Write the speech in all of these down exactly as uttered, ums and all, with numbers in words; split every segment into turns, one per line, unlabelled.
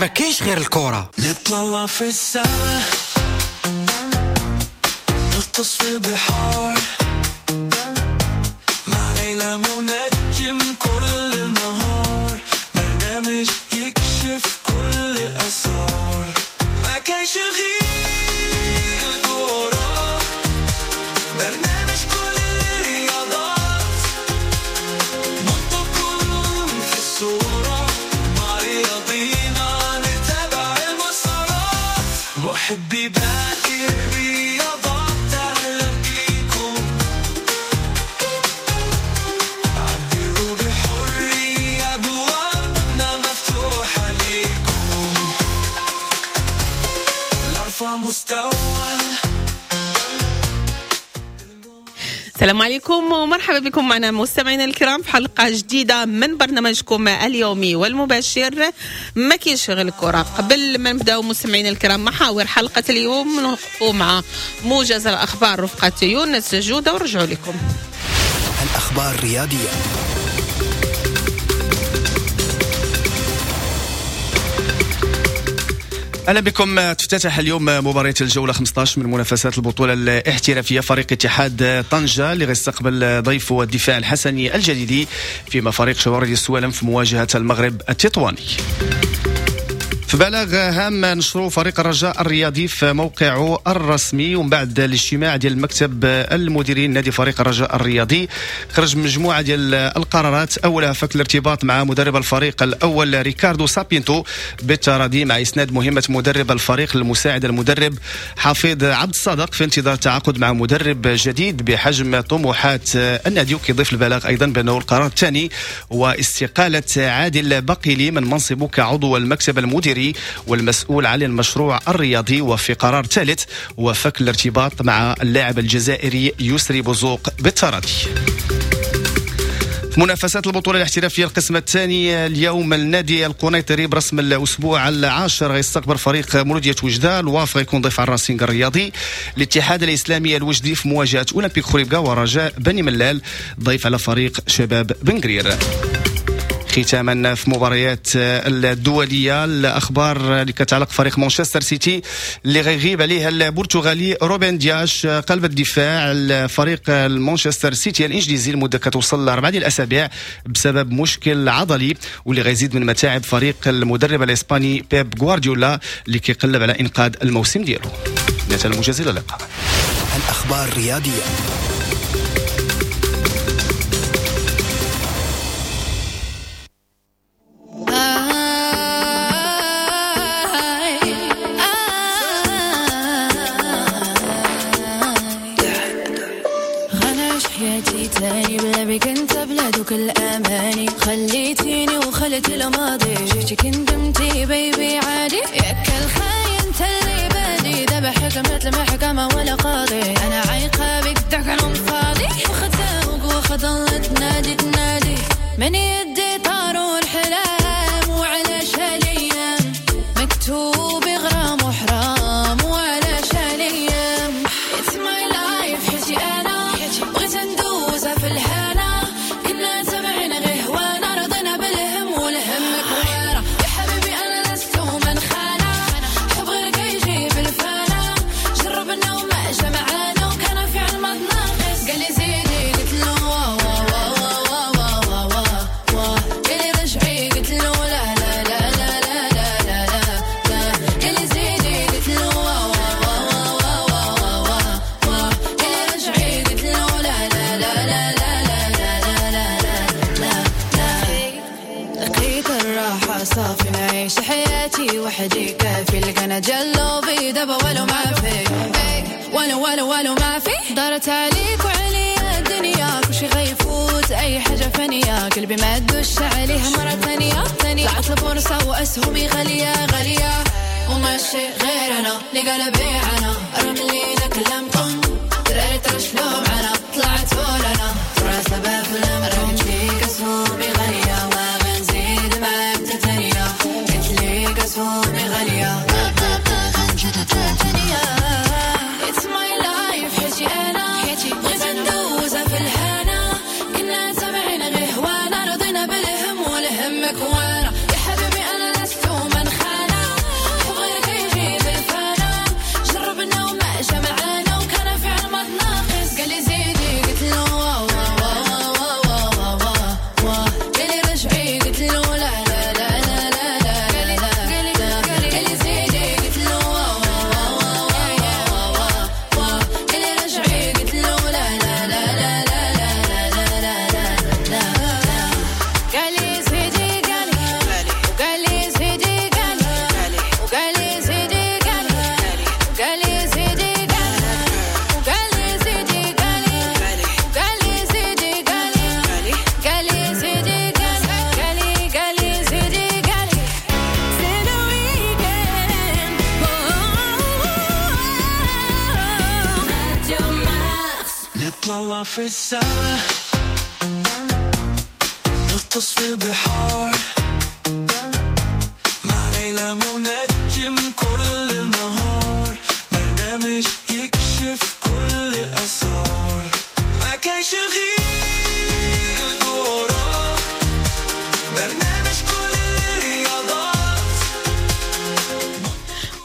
ما كاينش غير الكرة.
نطلع في السماء، نغطس في البحار، مع ليلى منجم كل النهار، برنامج يكشف كل الأسرار. ما كاينش غير الكرة، برنامج كل الرياضات، نحطكم في الصورة، مع رياضينا نتابع المسارات. محبي باقي الرياضات أهلا بيكم، عبروا بحرية، أبوابنا مفتوحة ليكم، لأرفع مستوى.
السلام عليكم ومرحبا بكم معنا مستمعينا الكرام في حلقة جديدة من برنامجكم اليومي والمباشر ما كاينش غير الكرة. قبل ما نبداو مستمعينا الكرام محاور حلقة اليوم نوقفوا مع موجز الأخبار رفقة يونس جودة ونرجعوا لكم.
الأخبار الرياضية.
اهلا بكم. تفتتح اليوم مباراة الجولة خمسة عشر من منافسات البطولة الاحترافية. فريق اتحاد طنجة اللي غيستقبل ضيفه الدفاع الحسني الجديدي، فيما فريق شوارد السوالم في مواجهة المغرب التطواني. في بلاغ هام نشروا فريق الرجاء الرياضي في موقعه الرسمي، ومن بعد الاجتماع ديال المكتب المديرين نادي فريق الرجاء الرياضي خرج مجموعة ديال القرارات. اولها فك الارتباط مع مدرب الفريق الاول ريكاردو سابينتو بالتراضي مع اسناد مهمة مدرب الفريق المساعد المدرب حفيظ عبد الصادق في انتظار التعاقد مع مدرب جديد بحجم طموحات النادي. وكيضيف البلاغ ايضا بانه القرار الثاني هو استقالة عادل بقيلي من منصبه كعضو المكتب المديري والمسؤول عن المشروع الرياضي. وفي قرار ثالث وفك الارتباط مع اللاعب الجزائري يسري بوزوق بالتراضي. في منافسات البطولة الاحترافية القسم الثاني اليوم النادي القنيطري برسم الأسبوع العاشر غيستقبل فريق مولودية وجدة. الواف غيكون ضيف على الراسينغ الرياضي. الاتحاد الإسلامي الوجدي في مواجهة أولمبيك خريبكا، ورجاء بني ملال ضيف على فريق شباب بنقرير. ختاما في مباريات الدولية الأخبار اللي كتعلق فريق مانشستر سيتي اللي غيغيب عليها البرتغالي روبن دياش قلب الدفاع الفريق المانشستر سيتي الإنجليزي لمدة كتوصل لأربعة ديال الأسابيع بسبب مشكل عضلي، واللي غيزيد من متاعب فريق المدرب الإسباني بيب غوارديولا اللي كيقلب على إنقاذ الموسم ديالو. نتائج الموجز، إلى اللقاء.
الأخبار الرياضية.
الأماني خليتيني وخلت الماضي، شفتك ندمتي بيبي عادي، ياك الخاين تلي بادي، دابا حكمت المحكمة ولا قاضي، أنا عايقة بك داك فاضي، وخدتك وخضلت تنادي تنادي من يدي طاروا الحلام، وعلاش هالأيام مكتوب غرام وحرام، وعلاش هالأيام It's my life حياتي أنا بغيت ندوزها في الهنا، وحدي كافي لقنا جلوبي دابا ولو ما في ولو ولو ولو ما في دارت عليك وعليا الدنيا، كلشي غيفوت اي حاجة فانيه، قلبي ما دوش عليها مرة ثانية ثانية، طلعت البورصة واسهمي غالية غالية، وماشي غير انا اللي قلبي انا، رملينا كلامكم دراري ترشلو معنا، طلعت ولانا فراسه بافلام، رمليك اسهمي غالية ما غنزيد معاك ثانية، اسهمي غالية It's my life حياتي أنا بغيت ندوزها في الهنا، كنا تابعين غير هوانا، رضينا بالهم والهم كوانا، يا حبيبي أنا لست من خانة.
نطلع في السما، نغطس في البحار، مع ليلى منجم كل النهار، برنامج يكشف كل الأسرار. ما كانش غير الكورة، برنامج كل الرياضات.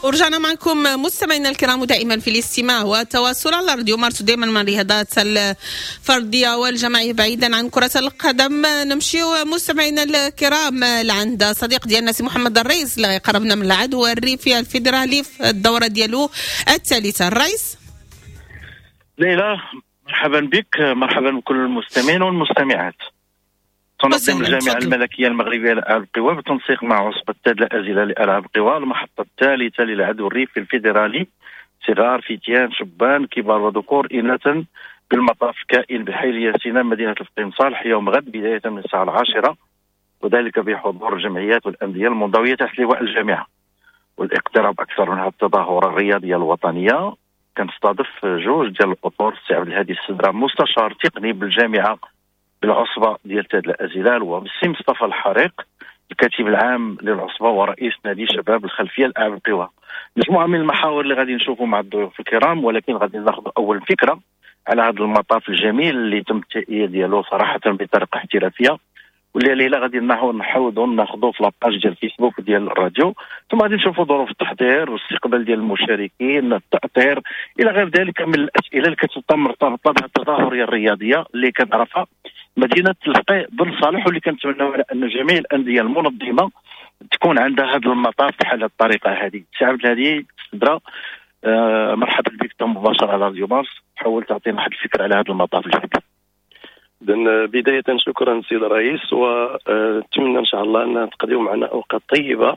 ورجعنا معكم مستمعينا الكرام، ودائما في الاستماع والتواصل على راديو مارس، دائما مع الرياضات الفردية والجماعيه بعيدا عن كره القدم. نمشيو مستمعينا الكرام لعند صديق ديالنا سي محمد الرئيس اللي قربنا من العدو الريفي الفيدرالي في الدورة ديالو الثالثه. الرئيس.
ليلى، مرحبا بك، مرحبا بكل المستمعين والمستمعات. تنظم الجامعة الملكية المغربية لألعاب القوى بالتنسيق مع عصبة تادلة أزيلال لألعاب القوى المحطة الثالثة للعدو الريفي الفيدرالي صغار، فتيان، شبان، كبار وذكور، إناثا، بالمطاف الكائن بحي الياسينة مدينة الفقيه بن صالح يوم غد بداية من الساعة العاشرة، وذلك بحضور الجمعيات والأندية المنضوية تحت لواء الجامعة. والاقتراب أكثر من هذه التظاهرة الرياضية الوطنية كنستضيف جوج ديال الأطر، السي عبد الهادي السدرة مستشار تقني بالجامعة بالعصبة ديال تادلة أزيلال، والسي مصطفى الحريق الكاتب العام للعصبة ورئيس نادي شباب الخلفية لألعاب القوى. مجموعة من المحاور اللي غادي نشوفوا مع الضيوف الكرام، ولكن غادي ناخذ أول فكرة على هذا المطاف الجميل اللي تم التهيئة ديالو صراحة بطريقة احترافية، واللي ليلى غادي نحاولوا ناخذوا في la page ديال فيسبوك ديال الراديو، ثم غادي نشوفوا ظروف التحضير والاستقبال ديال المشاركين، التأطير، الى غير ذلك من الاسئلة اللي كتبقى مرتبطة بهذه التظاهريه الرياضية اللي كتعرفها مدينة الفقيه بن صالح، واللي كنتمناو على ان جميع الاندية المنظمة تكون عندها هذا المطاف بحال الطريقة هذه. سي عبد الهادي السدرة، آه مرحبا بك مباشرة على راديو مارس، حاول تعطينا واحد الفكرة على هذا المطاف الجديد.
إذن بداية شكرا سيد الرئيس، ونتمنى إن شاء الله أن تقضيوا معنا أوقات طيبة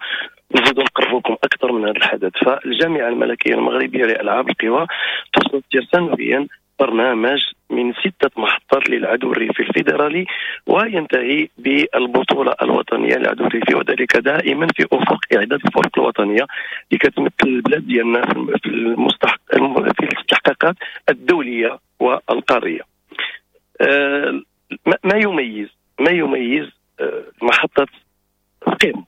نزيدوا نقربوكم أكثر من هذا الحدث. فالجامعة الملكية المغربية لألعاب القوى تصدر سنويا برنامج من ستة محطات للعدو الريفي الفيدرالي، وينتهي بالبطولة الوطنية للعدو الريفي، وذلك دائما في أفق إعداد الفرق الوطنية اللي كتمثل البلاد ديالنا في المستحق في الاستحقاقات الدولية والقارية. ما يميز ما يميز محطة القيم،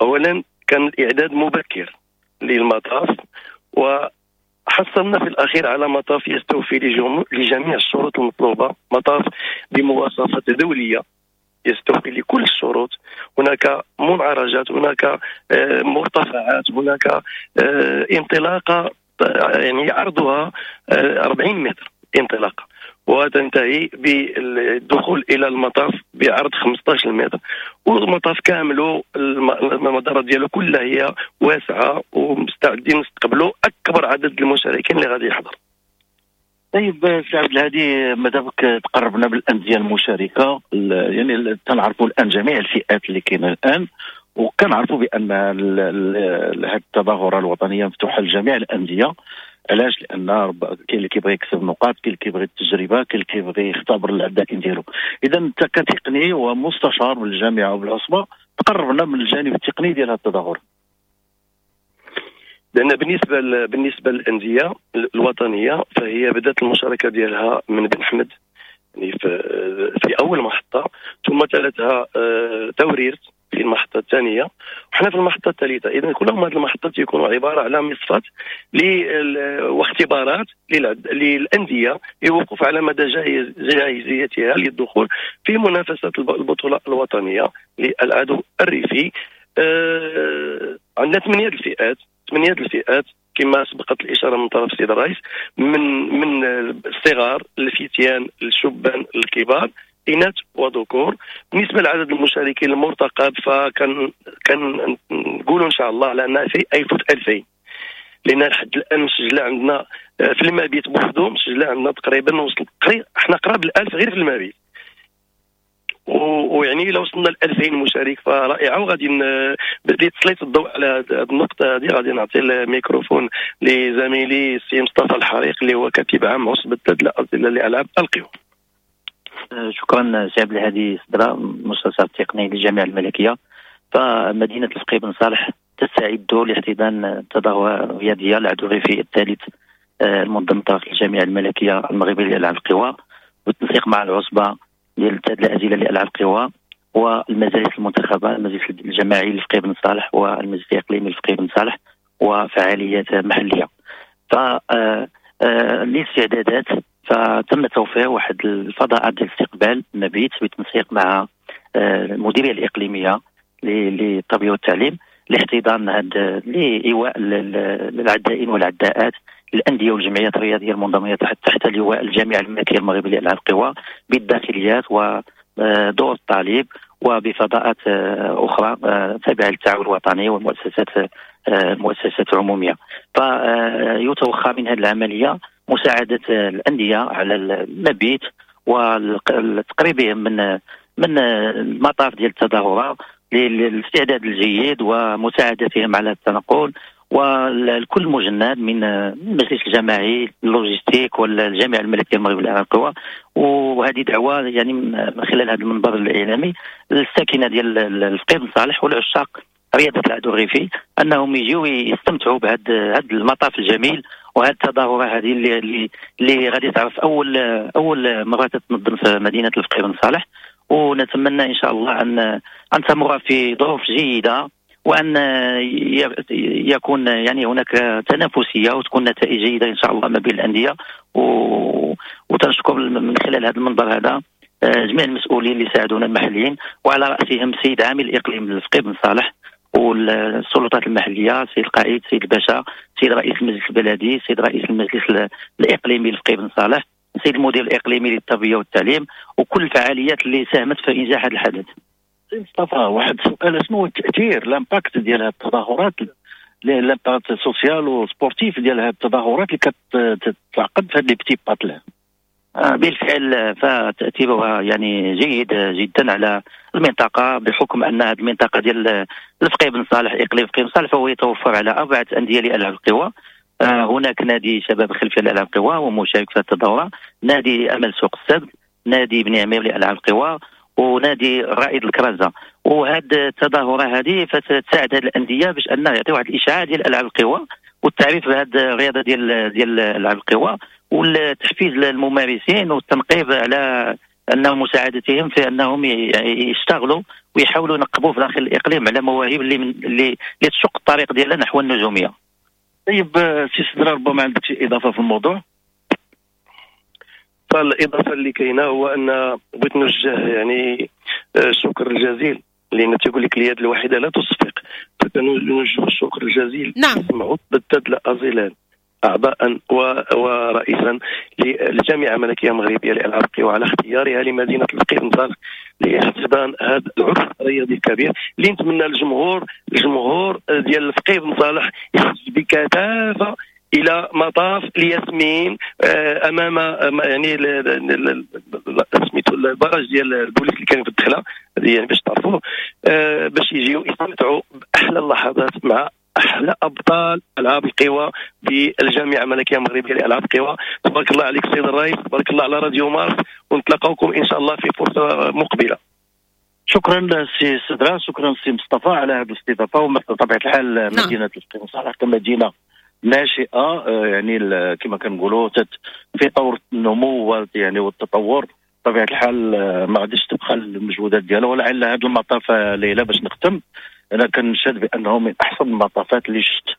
أولا كان الإعداد مبكر للمطاف، وحصلنا في الأخير على مطاف يستوفي لجميع الشروط المطلوبة، مطاف بمواصفات دولية يستوفي لكل الشروط. هناك منعرجات، هناك مرتفعات، هناك انطلاقة يعني عرضها أربعين متر انطلاقة، وتنتهي بالدخول الى المطاف بعرض خمسة عشر متر، والمطاف كاملة المدارة ديالو كلها هي واسعة، ومستعدين نستقبلوا اكبر عدد المشاركين اللي غادي يحضر.
طيب سي عبد الهادي، مادامك تقربنا بالاندية المشاركة، يعني تنعرفوا الان جميع الفئات اللي كاينه الان، وكنعرفوا بان هذه التظاهرة الوطنية مفتوحة لجميع الاندية. علاش؟ لان كاين اللي كيبغي يكسب نقاط، كاين اللي كيبغي التجربة، كاين اللي كيبغي يختبر العدائين ديالو. اذا انت كتقني ومستشار بالجامعة وبالعصبه تقربنا من الجانب التقني ديال هذا التظاهر.
لان بالنسبة بالنسبة للاندية الوطنية فهي بدات المشاركة ديالها من بن حمد، يعني في, في اول محطة، ثم تلتها توريرت في المحطة الثانية، وحنا في المحطة الثالثة. اذا كلهم هذه المحطات يكونوا عبارة على مصفات واختبارات للاندية للوقوف على مدى جاهزيتها للدخول في منافسه البطولة الوطنية للعدو الريفي. آه عندنا ثمانية الفئات، ثمانية الفئات كما سبقت الاشارة من طرف السيد الرئيس، من من الصغار، الفتيان، الشبان، الكبار، إناث وذكور. بالنسبة لعدد المشاركين المرتقب فكان كان نقولوا ان شاء الله على انها في يفوت ألفين، لان لحد الان مسجله عندنا في المبيت بوحدو مسجله عندنا تقريبا وصل قريب احنا قراب الألف غير في المبيت، ويعني لو وصلنا ل ألفين مشارك فرائعه. وغادي بدي تسليط الضوء على هذه النقطة هذه، غادي نعطي الميكروفون لزميلي السي مصطفى الحريق اللي هو كاتب عام عصبه تادلة أزيلال لألعاب القوى.
شكرا سي عبد الهادي سدرة، مستشار التقني للجامعة الملكية. فمدينه الفقيه بن صالح تستعد لاحتضان التظاهرة الرياضية العدو الريفي الثالث المنظم طرف الجامعة الملكية المغربية لالعاب القوى بالتنسيق مع العصبة ديال تادلة ازيلال لالعاب القوى والمجالس المنتخبه، المجلس الجماعي للفقيه بن صالح والمجلس الاقليمي للفقيه بن صالح وفعاليات محليه. ف الاستعدادات فتم توفير واحد الفضاءات ديال الاستقبال المبيت بالتنسيق مع المديرية الاقليمية للتربية والتعليم لاحتضان هاد لايواء العدائين والعداءات الاندية والجمعيات الرياضية المنضميه تحت تحت لواء الجامعة الملكية المغربية لالعاب القوى بالداخليات ودور الطالب وبفضاءات اخرى تابعه للتعاون الوطني والمؤسسات المؤسسات العمومية. فيتوخى من هذه العملية مساعدة الاندية على المبيت وتقريبهم من من المطاف ديال التظاهرة للاستعداد الجيد ومساعدتهم على التنقل، والكل مجند من المجلس الجماعي اللوجستيك والجامعة الملكية المغربية للالعاب القوى. وهذه دعوه يعني من خلال هذا المنبر الاعلامي للساكنه ديال الفقيه بن صالح والعشاق رياضة العدو الريفي انهم يجيو يستمتعوا بهذا هذا المطاف الجميل وهذه التظاهرة هذه اللي اللي, اللي غادي تعرف اول اول مرة تتنظم في مدينة الفقيه بن صالح. ونتمنى ان شاء الله ان ان تمر في ظروف جيدة وان يكون يعني هناك تنافسية وتكون نتائج جيدة ان شاء الله ما بين الاندية. وتنشكر من خلال هذا المنبر هذا جميع المسؤولين اللي ساعدونا المحليين وعلى راسهم السيد عامل الاقليم الفقيه بن صالح والسلطات المحلية، السيد القائد، السيد الباشا، السيد رئيس المجلس البلدي، السيد رئيس المجلس الاقليمي للفقيه بن صالح، السيد المدير الاقليمي للتربية والتعليم، وكل الفعاليات اللي ساهمت في انجاح هذا الحدث.
سي مصطفى، واحد السؤال، شنو هو التاثير l'impact ديال هذه التظاهرات، l'impact social و sportif ديال هذه التظاهرات اللي كتعقد في هاد les petits patelins؟
بالفعل فتاثيرها يعني جيد جدا على المنطقة، بحكم ان هذه المنطقة ديال الفقيه بن صالح، اقليم الفقيه بن صالح، فهو يتوفر على اربعة اندية لالعاب القوى. هناك نادي شباب خلفية لالعاب القوى ومشارك في التظاهرة، نادي امل سوق السبت، نادي بني عمير لالعاب القوى، ونادي رائد الكرازة. وهذه التظاهرة هذه فتساعد هذه الاندية باش انها يعطي واحد الاشعاع ديال العاب القوى والتعريف بهذه الرياضة ديال ديال العاب القوى والتحفيز للممارسين والتنقيب على انه مساعدتهم في انهم يشتغلوا ويحاولوا ينقبوا في داخل الاقليم على مواهب اللي من اللي اللي تشق الطريق ديالها نحو النجومية.
طيب سي سدرا، ربما عندك شي اضافه في الموضوع؟
فالاضافه اللي كاينه هو ان بغيت نوجه يعني الشكر الجزيل، لان تيقول لك اليد الواحدة لا تصفق، فكنوجه الشكر الجزيل
نعم
عصبة تادلة أزيلال اعضاء ورئيسا للجامعة الملكية المغربية لالعاب القوى على اختيارها لمدينة الفقيه بن صالح لاحتضان هذا العرس الرياضي الكبير، اللي نتمنى الجمهور الجمهور ديال الفقيه بن صالح يخرج بكثافة الى مطاف الياسمين امام يعني سميتو ال barrage ديال البوليس اللي كان في الدخلة يعني باش تعرفوه، باش يجيو يستمتعوا باحلى اللحظات مع احلى ابطال العاب القوى بالجامعة الملكية المغربية لالعاب القوى. تبارك الله عليك سيد الرئيس، تبارك الله على راديو مارس، ونتلاقاوكم ان شاء الله في فرصة مقبله.
شكرا سي سدرا، شكرا سي مصطفى على هذه الاستضافة. وبطبيعة الحال نعم. مدينة الفقيه بن صالح كمدينه ناشئة يعني كما كنقولوا في طور النمو يعني والتطور، بطبيعة الحال ما غاديش تبخل المجهودات ديالها. ولعل هذا المطاف ليلى باش نختم، انا كنشهد بانه من احسن المطافات اللي شفت،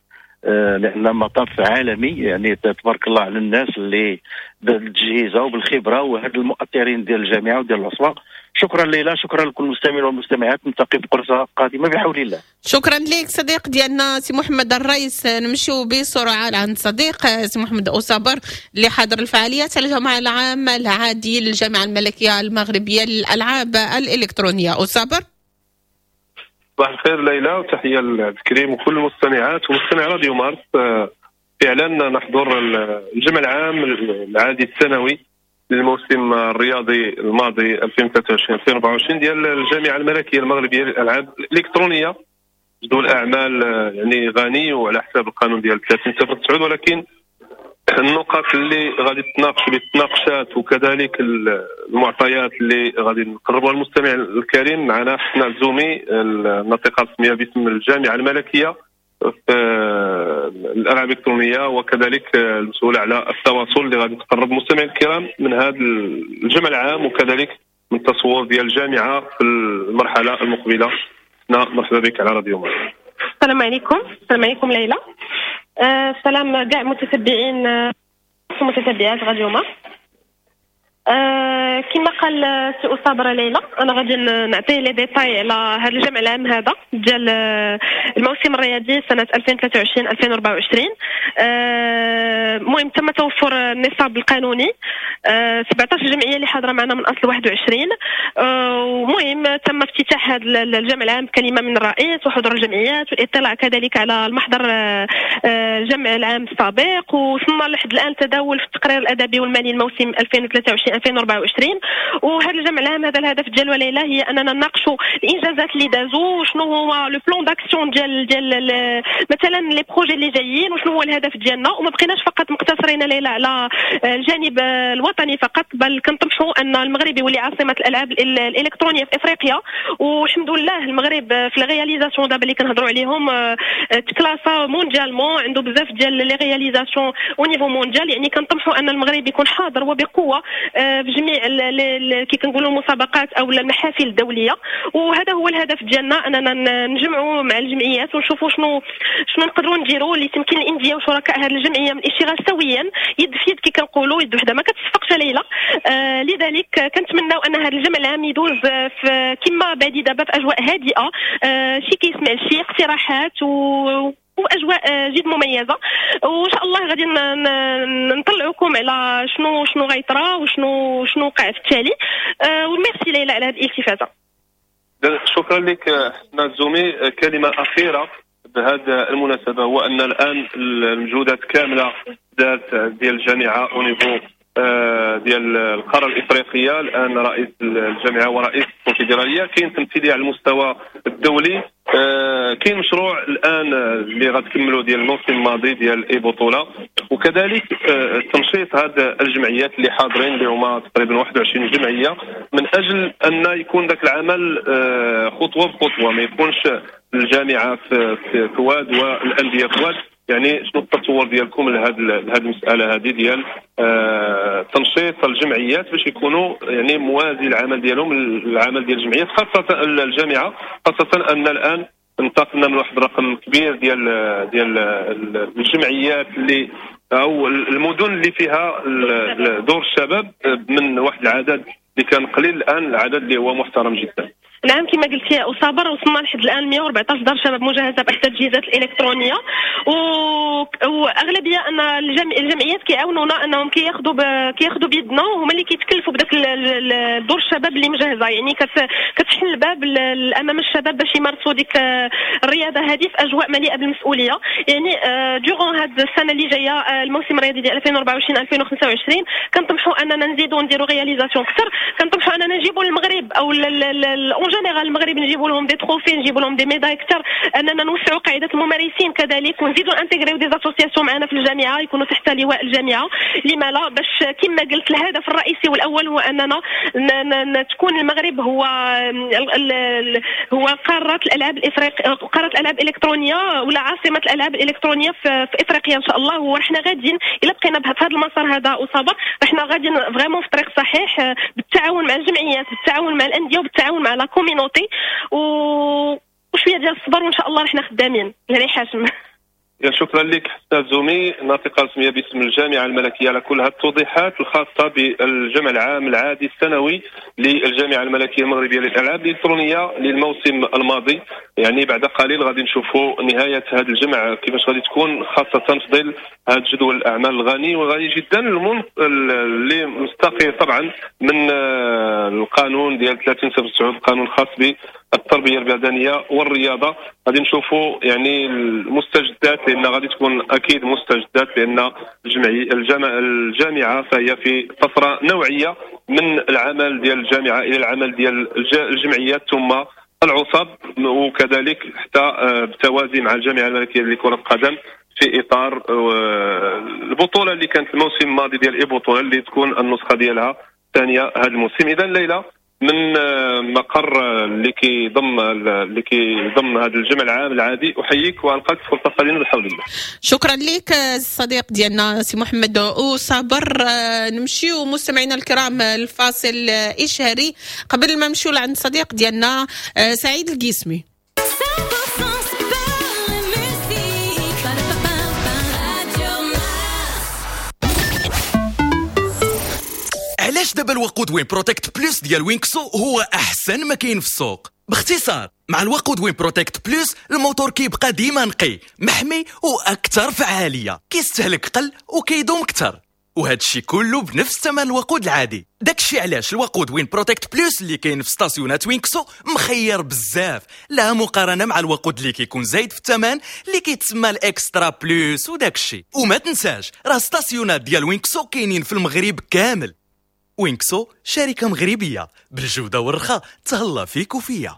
لان مطاف عالمي يعني تبارك الله على الناس اللي بالتجهيزه وبالخبره وهاد المؤطرين ديال الجامعة وديال العصبة. شكرا ليلى، شكرا لكل المستمعين والمستمعات، نلتقي في فرصة قادمة بحول الله.
شكرا لك صديق ديالنا سي محمد الرئيس. نمشيو بسرعة لعند صديق سي محمد اوصابر اللي حاضر الفعاليات على الجمع العام العادي للجامعة الملكية المغربية للالعاب الالكترونية. اوصابر،
صباح الخير ليلى، وتحية لعبد الكريم وكل المستمعات ومستمع راديو مارس. فعلا نحضر الجمع العام العادي السنوي للموسم الرياضي الماضي ألفين وثلاثة وعشرين ألفين وأربعة وعشرين ديال الجامعة الملكية المغربية للالعاب الالكترونية. جدول الاعمال يعني غني وعلى حساب القانون ديال ثلاثين صفر تسعة، ولكن النقط اللي غادي تناقش اللي تناقشات وكذلك المعطيات اللي غادي نقربوها للمستمع الكريم. معنا حسنا الزومي، الناطقة الرسمية باسم الجامعة الملكية. في الالعاب الالكترونية وكذلك المسؤولة على التواصل اللي غادي تقرب المستمعين الكرام من هذا الجمع العام وكذلك من التصور ديال الجامعة في المرحلة المقبلة. مرحبا بك على راديو مارس.
السلام عليكم. السلام عليكم ليلى. السلام كاع متتبعين ومتتبعات راديو مارس. آه كما قال سي أصابرة ليلى، انا غادي نعطي les détails على هذا الجمع العام هذا ديال الموسم الرياضي سنة ألفين وثلاثة وعشرين ألفين وأربعة وعشرين. المهم آه تم توفر النصاب القانوني، آه سبعطاش جمعية اللي حاضره معنا من اصل واحد وعشرين. المهم آه تم افتتاح هذا الجمع العام بكلمه من الرئيس وحضور الجمعيات والاطلاع كذلك على المحضر آه الجمع العام السابق، وصلنا لحد الان تداول في التقرير الادبي والمالي الموسم ألفين وثلاثة وعشرين ألفين وأربعة وعشرين. وهذا الجمع العام هذا الهدف ديالو ليلى هي اننا نناقشوا الانجازات اللي دازوا، وشنو هو le plan d'action ديال ديال مثلا les projets اللي جايين، وشنو هو الهدف ديالنا. وما بقيناش فقط مقتصرين ليلى على الجانب الوطني فقط، بل كنطمحوا ان المغرب يولي عاصمة الالعاب الالكترونية في افريقيا. والحمد لله المغرب في les réalisations دابا اللي كنهضروا عليهم تكلاسا mondialement، عنده بزاف ديال les réalisations au niveau mondial. يعني كنطمحوا ان المغرب يكون حاضر وبقوة في جميع كي كنقولوا المسابقات او المحافل الدولية. وهذا هو الهدف ديالنا، اننا نجمعوا مع الجمعيات ونشوفوا شنو شنو نقدروا نديروا لتمكين الاندية وشركاء هذه الجمعية من الاشتغال سويا، يد في يد كي كنقولوا، يد وحده ما كتصفقش ليلى. آه لذلك كنتمناو ان هذا الجمع العام يدوز في كما بادي دابا في اجواء هادئة، آه شي كيسمع شي اقتراحات و واجواء جد مميزة. وان شاء الله غادي نطلعوكم على شنو شنو غيطرا وشنو شنو وقع في التالي. وميرسي ليلى على هذه الالتفاته.
شكرا لك حسناء الزومي. كلمة اخيرة بهذه المناسبة هو ان الان المجهودات كاملة دارت ديال الجامعة au niveau ديال القارة الافريقية. الان رئيس الجامعة ورئيس الكونفدراليه، كاين تمثيلية على المستوى الدولي، كاين مشروع الان اللي غتكملوا ديال الموسم الماضي ديال اي بطوله، وكذلك تنشيط هذه الجمعيات اللي حاضرين اللي هما تقريبا واحد وعشرين جمعية، من اجل ان يكون ذاك العمل خطوة بخطوة، ما يكونش الجامعة في في واد والاندية في واد. يعني شنو التصور ديالكم لهذه لهذه المسالة هذه ديال آه تنشيط الجمعيات باش يكونوا يعني موازي العمل ديالهم العمل ديال الجمعيات خاصة الجامعة، خاصة ان الان انتقلنا من واحد الرقم كبير ديال ديال الجمعيات اللي او المدن اللي فيها دور الشباب من واحد العدد اللي كان قليل، الان العدد اللي هو محترم جدا.
نعم كما قلت يا أصابر، وصلنا لحد الان مئة وأربعة عشر دار شباب مجهزة باحدث التجهيزات الالكترونية، و... واغلبيه ان الجم... الجمعيات كيعاونونا انهم كياخذوا ب... كياخذوا بيدنا، وهما اللي كيتكلفوا بداك دور الشباب اللي مجهزة. يعني كت... كتحل الباب امام الشباب باش يمارسوا ديك الرياضة هذه في اجواء مليئة بالمسؤولية. يعني durant هاد السنة اللي جاية الموسم الرياضي ديال ألفين وأربعة وعشرين ألفين وخمسة وعشرين كنطمحوا اننا نزيدوا نديروا réalisations اكثر، كنطمحوا اننا نجيبوا المغرب او en général المغرب نجيبوا لهم des trophées، نجيبوا لهم des médailles اكثر، اننا نوسعوا قاعدة الممارسين كذلك، ونزيدوا intégrer des associations معنا في الجامعة يكونوا تحت لواء الجامعة. لما لا؟ باش كما قلت الهدف الرئيسي والاول هو اننا تكون المغرب هو هو قارة الالعاب الافريقية، قارة الالعاب الالكترونية ولا عاصمة الالعاب الالكترونية في, في افريقيا ان شاء الله. وحنا غاديين الا بقينا بهذا المسار هذا اصابه حنا غاديين vraiment في طريق صحيح، بالتعاون مع الجمعيات، بالتعاون مع الاندية، وبالتعاون مع la communauté، و... وشوية ديال الصبر وان شاء الله رحنا خدامين. يعني حاشم
شكرا لك حسناء الزومي، ناطقه رسمية باسم الجامعة الملكية، على كل هذه التوضيحات الخاصة بالجمع العام العادي السنوي للجامعة الملكية المغربية للالعاب الالكترونية للموسم الماضي. يعني بعد قليل غادي نشوفوا نهاية هذا الجمع كيفاش غادي تكون، خاصة في ظل هذا جدول الاعمال الغني وغني جدا اللي مستقي طبعا من القانون ديال ثلاثين صفر تسعة، القانون الخاص بالتربية البدنية والرياضة. غادي نشوفوا يعني المستجدات، لان غادي تكون اكيد مستجدات، لان الجامعة الجامعة فهي في طفرة نوعية من العمل ديال الجامعة الى العمل ديال الجمعيات ثم العصب، وكذلك حتى بالتوازي مع الجامعة الملكية لكرة القدم في اطار البطولة اللي كانت الموسم الماضي ديال اي بطوله اللي تكون النسخة ديالها الثانية هذا الموسم. اذا ليلى من مقر اللي كيضم اللي كيضم هذا الجمع العام العادي. احييك والقاك في فرصة قادمة بحول الله.
شكرا لك الصديق ديالنا سي محمد وصابر. نمشيو مستمعينا الكرام الفاصل اشهاري قبل ما نمشيو لعند الصديق ديالنا سعيد القسمي.
علاش دابا الوقود وين بروتكت بلوس ديال وينكسو هو احسن ما كاين في السوق؟ باختصار مع الوقود وين بروتكت بلوس الموتور كيبقى ديما نقي محمي واكثر فعالية، كيستهلك قل وكيدوم اكثر، وهذا الشيء كله بنفس ثمن الوقود العادي. داكشي علاش الوقود وين بروتكت بلوس اللي كاين في ستاسيونات وينكسو مخير بزاف، لا مقارنة مع الوقود اللي كيكون زايد في الثمن اللي كيتسمى ال extra plus وداكشي. وما تنساش راه ستاسيونات ديال وينكسو كاينين في المغرب كامل. وينكسو شركة مغربية بالجودة والرخاء، تهلا فيك وفيا.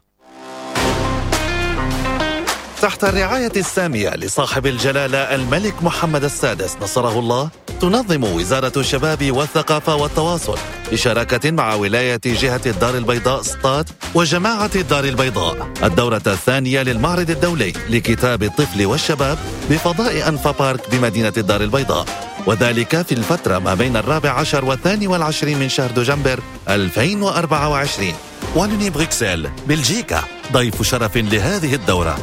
تحت الرعاية السامية لصاحب الجلالة الملك محمد السادس نصره الله، تنظم وزارة الشباب والثقافة والتواصل بشراكة مع ولاية جهة الدار البيضاء سطات وجماعة الدار البيضاء الدورة الثانية للمعرض الدولي لكتاب الطفل والشباب بفضاء أنفا بارك بمدينة الدار البيضاء، وذلك في الفترة ما بين الرابع عشر والثاني والعشرين من شهر دجنبر ألفين وأربعة وعشرين. والوني بروكسل بلجيكا ضيف شرف لهذه الدورة.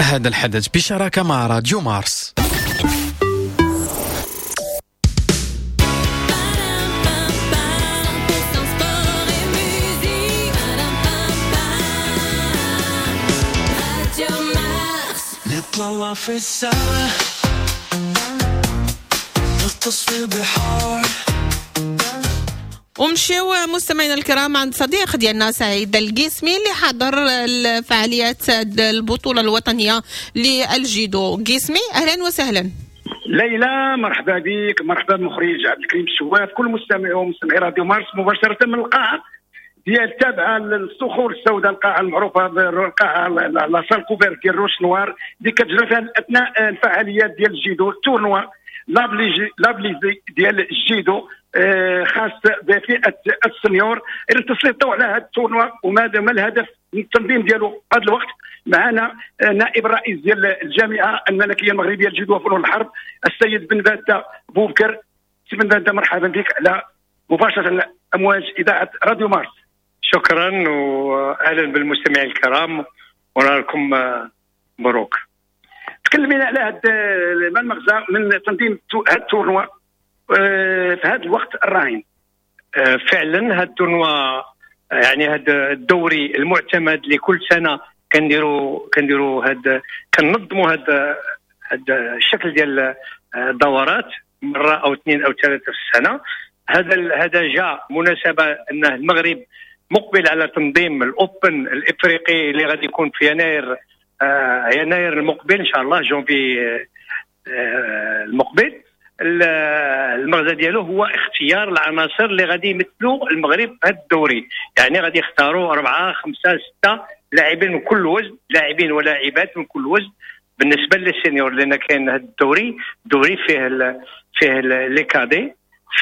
هذا الحدث بشراكة مع راديو مارس.
نطلع في السما نغطس في البحار.
ومشيو مستمعينا الكرام عند صديق ديالنا سعيد القسمي اللي حضر الفعاليات البطولة الوطنية للجيدو. قسمي أهلا وسهلا.
ليلى مرحبا بك، مرحبا بمخرج عبد الكريم الشواف، كل مستمعي ومستمعي راديو مارس مباشرة من القاعة ديال تابعة للصخور السوداء، القاعة المعروفة بالقاعة la salle couverte ديال Roches Noires اللي كتجرى فيها أثناء الفعاليات ديال الجيدو، ال tournoi l'Ablizi ديال الجيدو خاص بفئة ال seniors. التسليط على هذا ال tournoi وماذا ما الهدف من التنظيم ديالو هذا الوقت. معنا نائب الرئيس ديال الجامعة الملكية المغربية للجيدو وفنون الحرب السيد بن بادة بوبكر. سي بن بادة مرحبا بك على مباشرة امواج اذاعة راديو مارس.
شكرا واهلا بالمستمعين الكرام ونهاركم مبروك.
تكلمينا على هذا المغزى من تنظيم هذا ال tournoi في هذا الوقت الراهن.
فعلا هذا ال tournoi يعني هذا الدوري المعتمد لكل سنة كنديروا كنديروا هذا كننظموا هذا هذا الشكل ديال الدورات مرة او اثنين او ثلاثة في السنة. هذا هذا جاء مناسبة ان المغرب مقبل على تنظيم ال Open الافريقي اللي غادي يكون في يناير آه يناير المقبل ان شاء الله، جونفي آه المقبل. المغزى ديالو هو اختيار العناصر اللي غادي يمثلوا المغرب في هذا الدوري، يعني غادي يختاروا أربعة خمسة ستة لاعبين من كل وزن، لاعبين ولاعبات من كل وزن بالنسبة لل seniors، لأن كاين هذا الدوري دوري فيه ال فيه les cadets،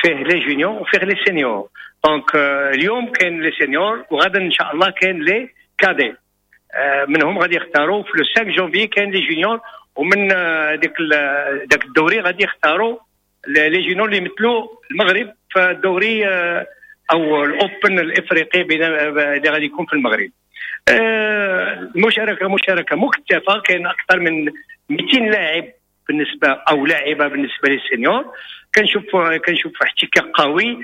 فيه les juniors وفيه les seniors. donc اليوم كاين les seniors وغدا ان شاء الله كاين les cadets، منهم غادي يختاروا في le خمسة جونفي كاين les juniors، ومن ديك داك الدوري غادي يختاروا les juniors اللي يمثلوا المغرب في الدوري او ال Open الافريقي اللي غادي يكون في المغرب. المشاركة مشاركة مكثفة، كاين اكثر من مئتين لاعب بالنسبة او لاعبه بالنسبة لل seniors. كنشوف كنشوف احتكاك قوي،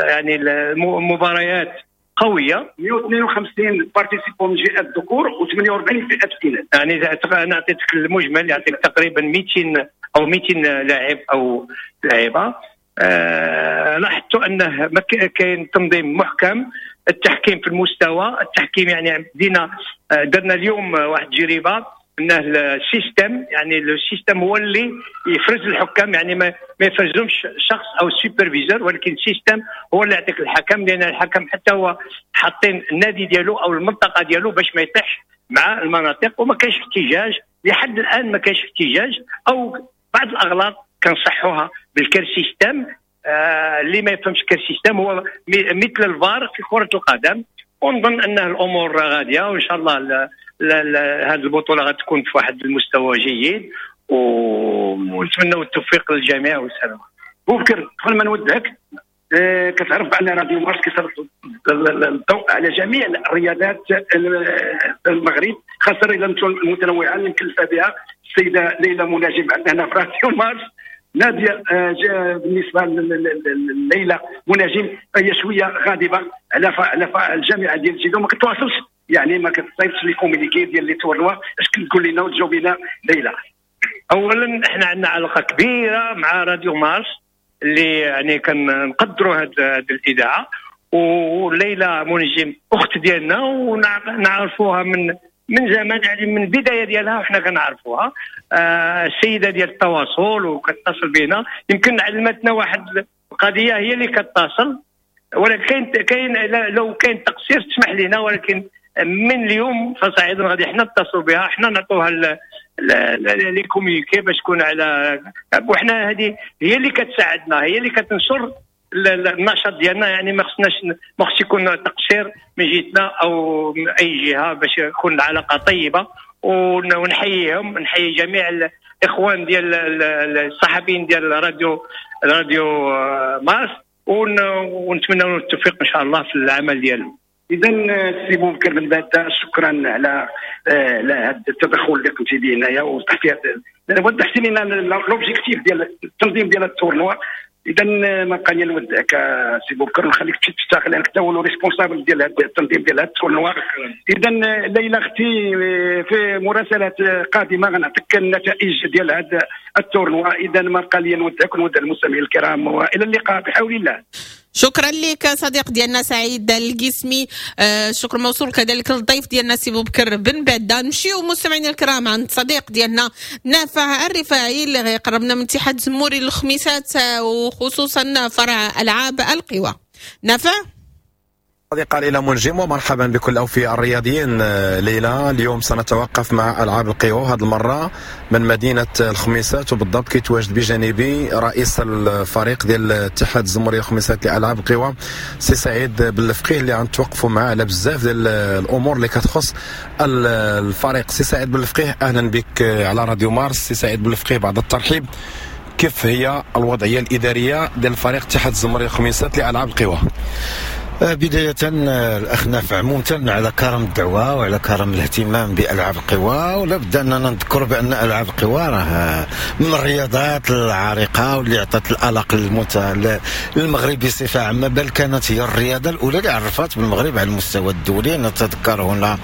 يعني المباريات قوية.
مئة واثنين وخمسين participants من فئة الذكور وثمانية وأربعين فئة الاناث.
يعني انا عطيتك المجمل، يعطيك تقريبا مئتين او مئتين لاعب او لاعبه. آه لاحظت انه كاين تنظيم محكم، التحكيم في المستوى، التحكيم يعني بدينا درنا اليوم واحد التجربة انه ال système، يعني ال système هو اللي يفرز الحكام، يعني ما ما يفرزهمش شخص او superviseur، ولكن ال système هو اللي يعطيك الحكم، لان الحكم حتى هو حاطين النادي ديالو او المنطقة ديالو باش ما يطيحش مع المناطق، وما كاينش احتجاج لحد الان، ما كاينش احتجاج او بعض الاغلاط كنصحوها بال système. آه اللي ما يفهمش care system هو مثل الفار في كره القدم. ونظن ان الامور غادية، وان شاء الله هذه البطولة غتكون في واحد المستوى جيد، ونتمنوا التوفيق للجميع والسلام.
بوبكر، قبل ما نودعك، آه كتعرف بان راديو مارس كيسلط الضوء على جميع الرياضات المغرب، خاصة الرياضات المتنوعة اللي مكلفة بها السيدة ليلى مناجم عندنا هنا في راديو مارس. ناديه آه بالنسبة لليلى مناجم هي شوية غاضبه على على الجامعة ديال الجيدو، ما كتواصلش يعني ما كتصيفطش les communiqués ديال les tournois. اش كتقول لنا وتجاوبينا ليلى؟
اولا احنا عندنا علاقة كبيرة مع راديو مارس اللي يعني كنقدروا هذه الاذاعة، وليلى منجم اخت ديالنا ونعرفوها من من زمان، يعني من البداية ديالها وحنا كنعرفوها. آه السيدة ديال التواصل وكتصل بنا، يمكن علمتنا واحد القضية هي اللي كتصل، ولكن كاين لو كاين تقصير تسمح لنا، ولكن من اليوم فصاعدا غادي حنا نتصلوا بها، حنا نعطوها les communiqués باش تكون على، وحنا هذه هي اللي كتساعدنا، هي اللي كتنشر النشاط ديالنا. يعني ما خصناش ما خصش يكون تقصير من جهتنا او من اي جهة باش تكون العلاقة طيبة. ونحييهم، نحيي جميع الاخوان ديال الصحفيين ديال راديو راديو مارس، ونتمنى لهم التوفيق ان شاء الله في العمل ديالهم.
اذا سي بوبكر بن باده، شكرا على على هذا التدخل اللي قمتي به هنايا ووضحتي وضحتي لنا l'objectif ديال التنظيم ديال ال tournoi. اذا ما بقى لي نودعك سي بوبكر ونخليك تمشي تشتغل، لانك انت هو responsable ديال هذا التنظيم ديال هذا ال tournoi. اذا ليلى اختي، في مراسلات قادمة غنعطيك النتائج ديال هذا ال tournoi. اذا ما بقى لي نودعك ونودع المستمعين الكرام، والى اللقاء بحول الله.
شكرا لك صديق ديالنا سعيد القسمي، آه شكر موصول كذلك للضيف ديالنا سي بوبكر بن باده. نمشيو مستمعينا الكرام عند صديق ديالنا نافع الرفاعي اللي غيقربنا من اتحاد زموري للخميسات وخصوصا فرع العاب القوى. نافع.
صديقة ليلى منجم، ومرحبا بكل الأوفياء الرياضيين. ليلى، اليوم سنتوقف مع ألعاب القوى هذه المرة من مدينة الخميسات، وبالضبط كيتواجد بجانبي رئيس الفريق ديال الاتحاد الزموري الخميسات لألعاب القوى سي سعيد بالفقيه، اللي غنتوقفوا معاه على بزاف ديال الأمور اللي كتخص الفريق. سي سعيد بالفقيه، أهلا بك على راديو مارس. سي سعيد بالفقيه، بعد الترحيب، كيف هي الوضعية الإدارية ديال الفريق الاتحاد الزموري الخميسات لألعاب القوى؟
بداية الأخ نافع ممتن على كرم الدعوة وعلى كرم الاهتمام بألعاب القوى، ولا بد أننا نذكر بأن ألعاب القوى راه من الرياضات العريقة واللي عطت الألق للمغرب بصفة عامة، بل كانت هي الرياضة الأولى اللي عرفت بالمغرب على المستوى الدولي. نتذكر هنا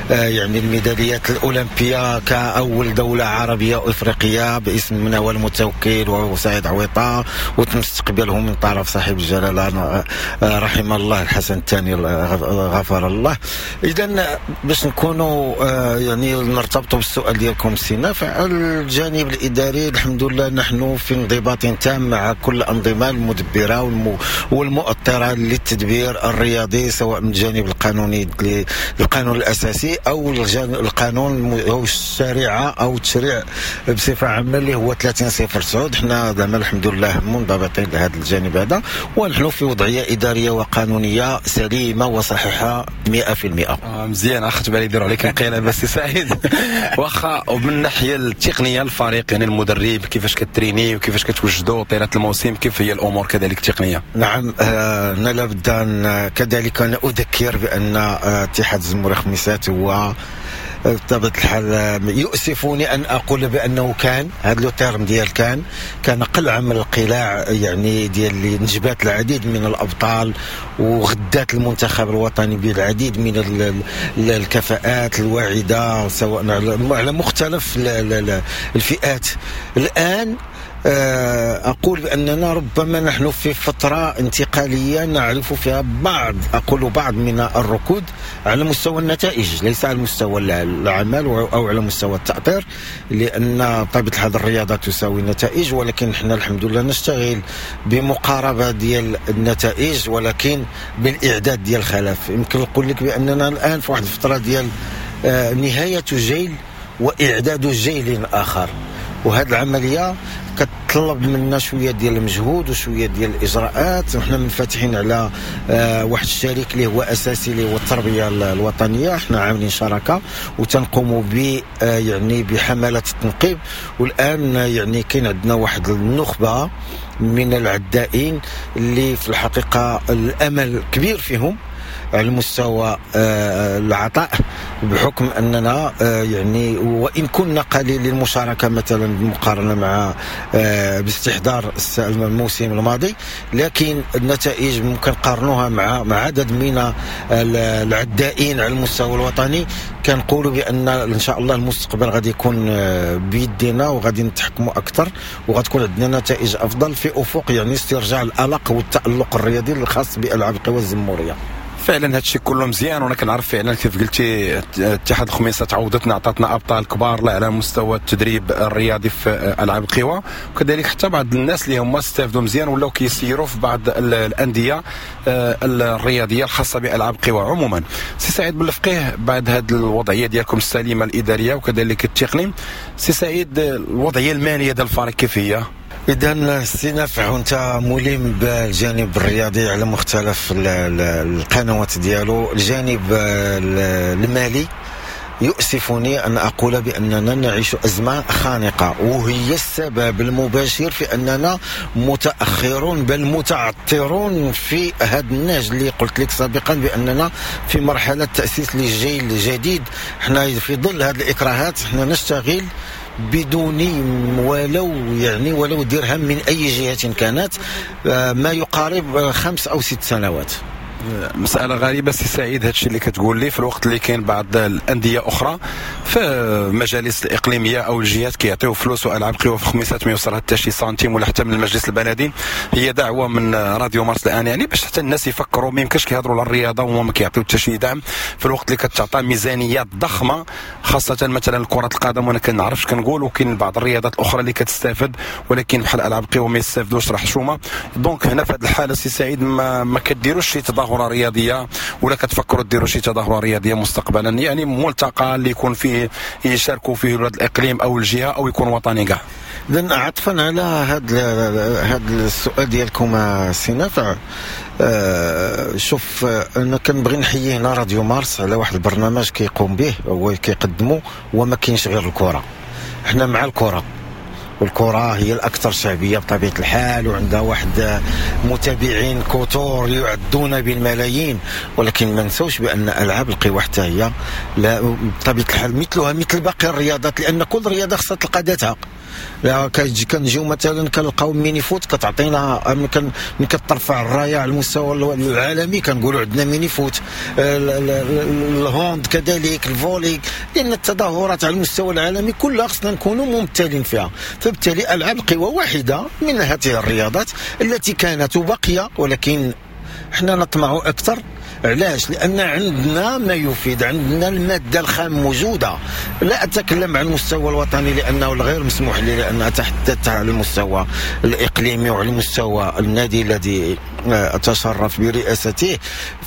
يعني الميداليات الأولمبية كأول دولة عربية وإفريقية باسم منوال المتوكل وسعيد عويطة، وتم استقبالهم من طرف صاحب الجلالة رحمه الله الحسن الثاني غفر الله. اذا باش نكونوا يعني نرتبطوا بالسؤال ديالكم سي نافع، الجانب الاداري الحمد لله نحن في انضباط تام مع كل الانظمة المدبره والمؤطره للتدبير الرياضي، سواء من الجانب القانوني القانون الاساسي او القانون او الشريعة او التشريع بصفة عامة اللي هو ثلاثين صفر تسعة. حنا زعما الحمد لله منضبطين لهذا الجانب هذا، ونحن في وضعية ادارية وقانونيه سليمة وصحيحه مئة في المئة.
آه مزيان، اخذت بالي يديروا عليك انقلاب سي سعيد. واخا، ومن الناحية التقنية الفريق يعني المدرب كيفاش كتريني وكيفاش كتوجدوا طيلة الموسم، كيف هي الامور كذلك التقنية؟
نعم، آه لا بد ان كذلك انا اذكر بان اتحاد الزموري خميسات هو بطبيعة الحال يؤسفني أن أقول بأنه كان هذا le terme ديال كان كان قلعة من القلاع، يعني ديال اللي نجبات العديد من الأبطال وغدات المنتخب الوطني بالعديد من الكفاءات الواعدة سواء على مختلف الفئات. الآن أقول بأننا ربما نحن في فترة انتقالية نعرف فيها بعض، أقول بعض من الركود على مستوى النتائج، ليس على مستوى العمل أو على مستوى التأطير، لأن طبيعة الحال الرياضة تساوي النتائج، ولكن نحن الحمد لله نشتغل بمقاربة ديال النتائج ولكن بالإعداد ديال الخلف. يمكن نقول لك بأننا الآن في واحد الفترة ديال نهاية جيل وإعداد جيل آخر. وهذه العملية كتطلب منا شوية ديال المجهود وشوية ديال الاجراءات. وحنا منفتحين على آه واحد الشريك اللي هو اساسي اللي هو التربية الوطنية، حنا عاملين شراكة وتنقوموا ب آه يعني بحملات التنقيب. والان يعني كاين عندنا واحد النخبة من العدائين اللي في الحقيقة الامل كبير فيهم على المستوى العطاء، بحكم اننا يعني وان كنا قليل المشاركة مثلا بالمقارنة مع باستحضار الموسم الماضي، لكن النتائج ممكن نقارنوها مع مع عدد من العدائين على المستوى الوطني. كنقولوا بان ان شاء الله المستقبل غادي يكون بيدنا وغادي نتحكموا اكثر وغتكون عندنا نتائج افضل في افق يعني استرجاع الالق والتالق الرياضي الخاص بالعاب القوى الزموريه.
فعلا هذا الشيء كله مزيان، وانا كنعرف فعلا كيف قلتي اتحاد الخميسات تعوضتنا، عطاتنا ابطال كبار لا على مستوى التدريب الرياضي في العاب القوى، وكذلك حتى بعض الناس اللي هما استافدوا مزيان ولاو كيسيروا في بعض الاندية الرياضية الخاصة بالعاب القوى عموما. سي سعيد بالفقيه، بعد هذه الوضعية ديالكم السليمة الادارية وكذلك التقني، سي سعيد الوضعية المالية ديال الفريق كيف هي؟
إذا سي نافع، وانت ملم بالجانب الرياضي على مختلف القنوات ديالو، الجانب المالي يؤسفني أن أقول بأننا نعيش أزمة خانقة، وهي السبب المباشر في أننا متأخرون بل متعثرون في هذا النهج اللي قلت لك سابقا بأننا في مرحلة تأسيس للجيل الجديد. احنا في ظل هذه الإكراهات احنا نشتغل بدون ولو يعني ولو درهم من أي جهة كانت، ما يقارب خمس أو ست سنوات.
مسألة غريبة سي سعيد هادشي اللي كتقول لي، في الوقت اللي كاين بعض الأندية أخرى في المجالس الإقليمية أو الجهات كيعطيو فلوس وألعاب قوى في خميسات ما يوصلها حتى شي سنتيم ولا حتى من المجلس البلدي. هي دعوة من راديو مارس الآن يعني باش حتى الناس يفكروا، ما يمكنش كيهضروا على الرياضة وما كيعطيو حتى شي دعم في الوقت اللي كتعطى ميزانيات ضخمة، خاصة مثلا كرة القدم وأنا كنعرفش كنقول، وكاين بعض الرياضات الأخرى اللي كتستافد ولكن بحال ألعاب قوى ما يستافدوش راه حشومة. donc هنا في هذه الحالة سي سعيد ما, ما كديروش شي تظاهرة رياضية ولا كتفكروا ديروا شي تظاهرة رياضية مستقبلا، يعني ملتقى اللي يكون فيه يشاركوا فيه ولاد الاقليم او الجهة او يكون وطني كاع؟
اذا عطفا على هذا هذا السؤال ديالكم سي نافع، آه شوف انا كنبغي نحيي هنا راديو مارس على واحد البرنامج كيقوم به هو كيقدمه، وما كاينش غير الكره، احنا مع الكره، والكرة هي الأكثر شعبية بطبيعة الحال وعندها واحد متابعين كثر يعدون بالملايين، ولكن ما نسوش بأن ألعاب القوى حتى هي لا بطبيعة الحال مثلها مثل باقي الرياضات، لأن كل رياضة خصها تلقى ذاتها. لا كنجيو مثلا كنلقاو mini-foot كتعطينا من كترفع الراية على المستوى العالمي كنقولوا عندنا mini-foot، ال hand كذلك، ال volley، لان التظاهرات على المستوى العالمي كلها خصنا نكونوا ممثلين فيها. فبالتالي العاب القوى واحدة من هذه الرياضات التي كانت وبقية، ولكن حنا نطمع اكثر. علاش؟ لان عندنا ما يفيد، عندنا المادة الخام موجودة. لا اتكلم عن المستوى الوطني لانه غير مسموح لي، لان اتحدث على المستوى الاقليمي وعلى المستوى النادي الذي اتشرف برئاسته.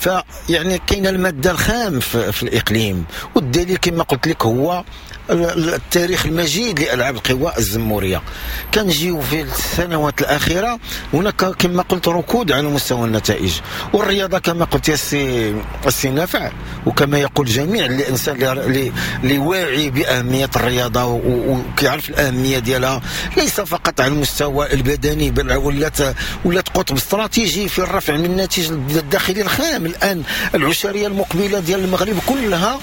فيعني كاين المادة الخام في, في الاقليم، والدليل كما قلت لك هو التاريخ المجيد لألعاب القوى الزمورية. كنجيو في السنوات الأخيرة هناك كما قلت ركود على مستوى النتائج، والرياضة كما قلت يا السي السي نافع، وكما يقول جميع الإنسان اللي اللي واعي بأهمية الرياضة وكيعرف الأهمية ديالها، ليس فقط على المستوى البدني بل ولات ولات قطب استراتيجي في الرفع من الناتج الداخلي الخام. الآن العشرية المقبلة ديال المغرب كلها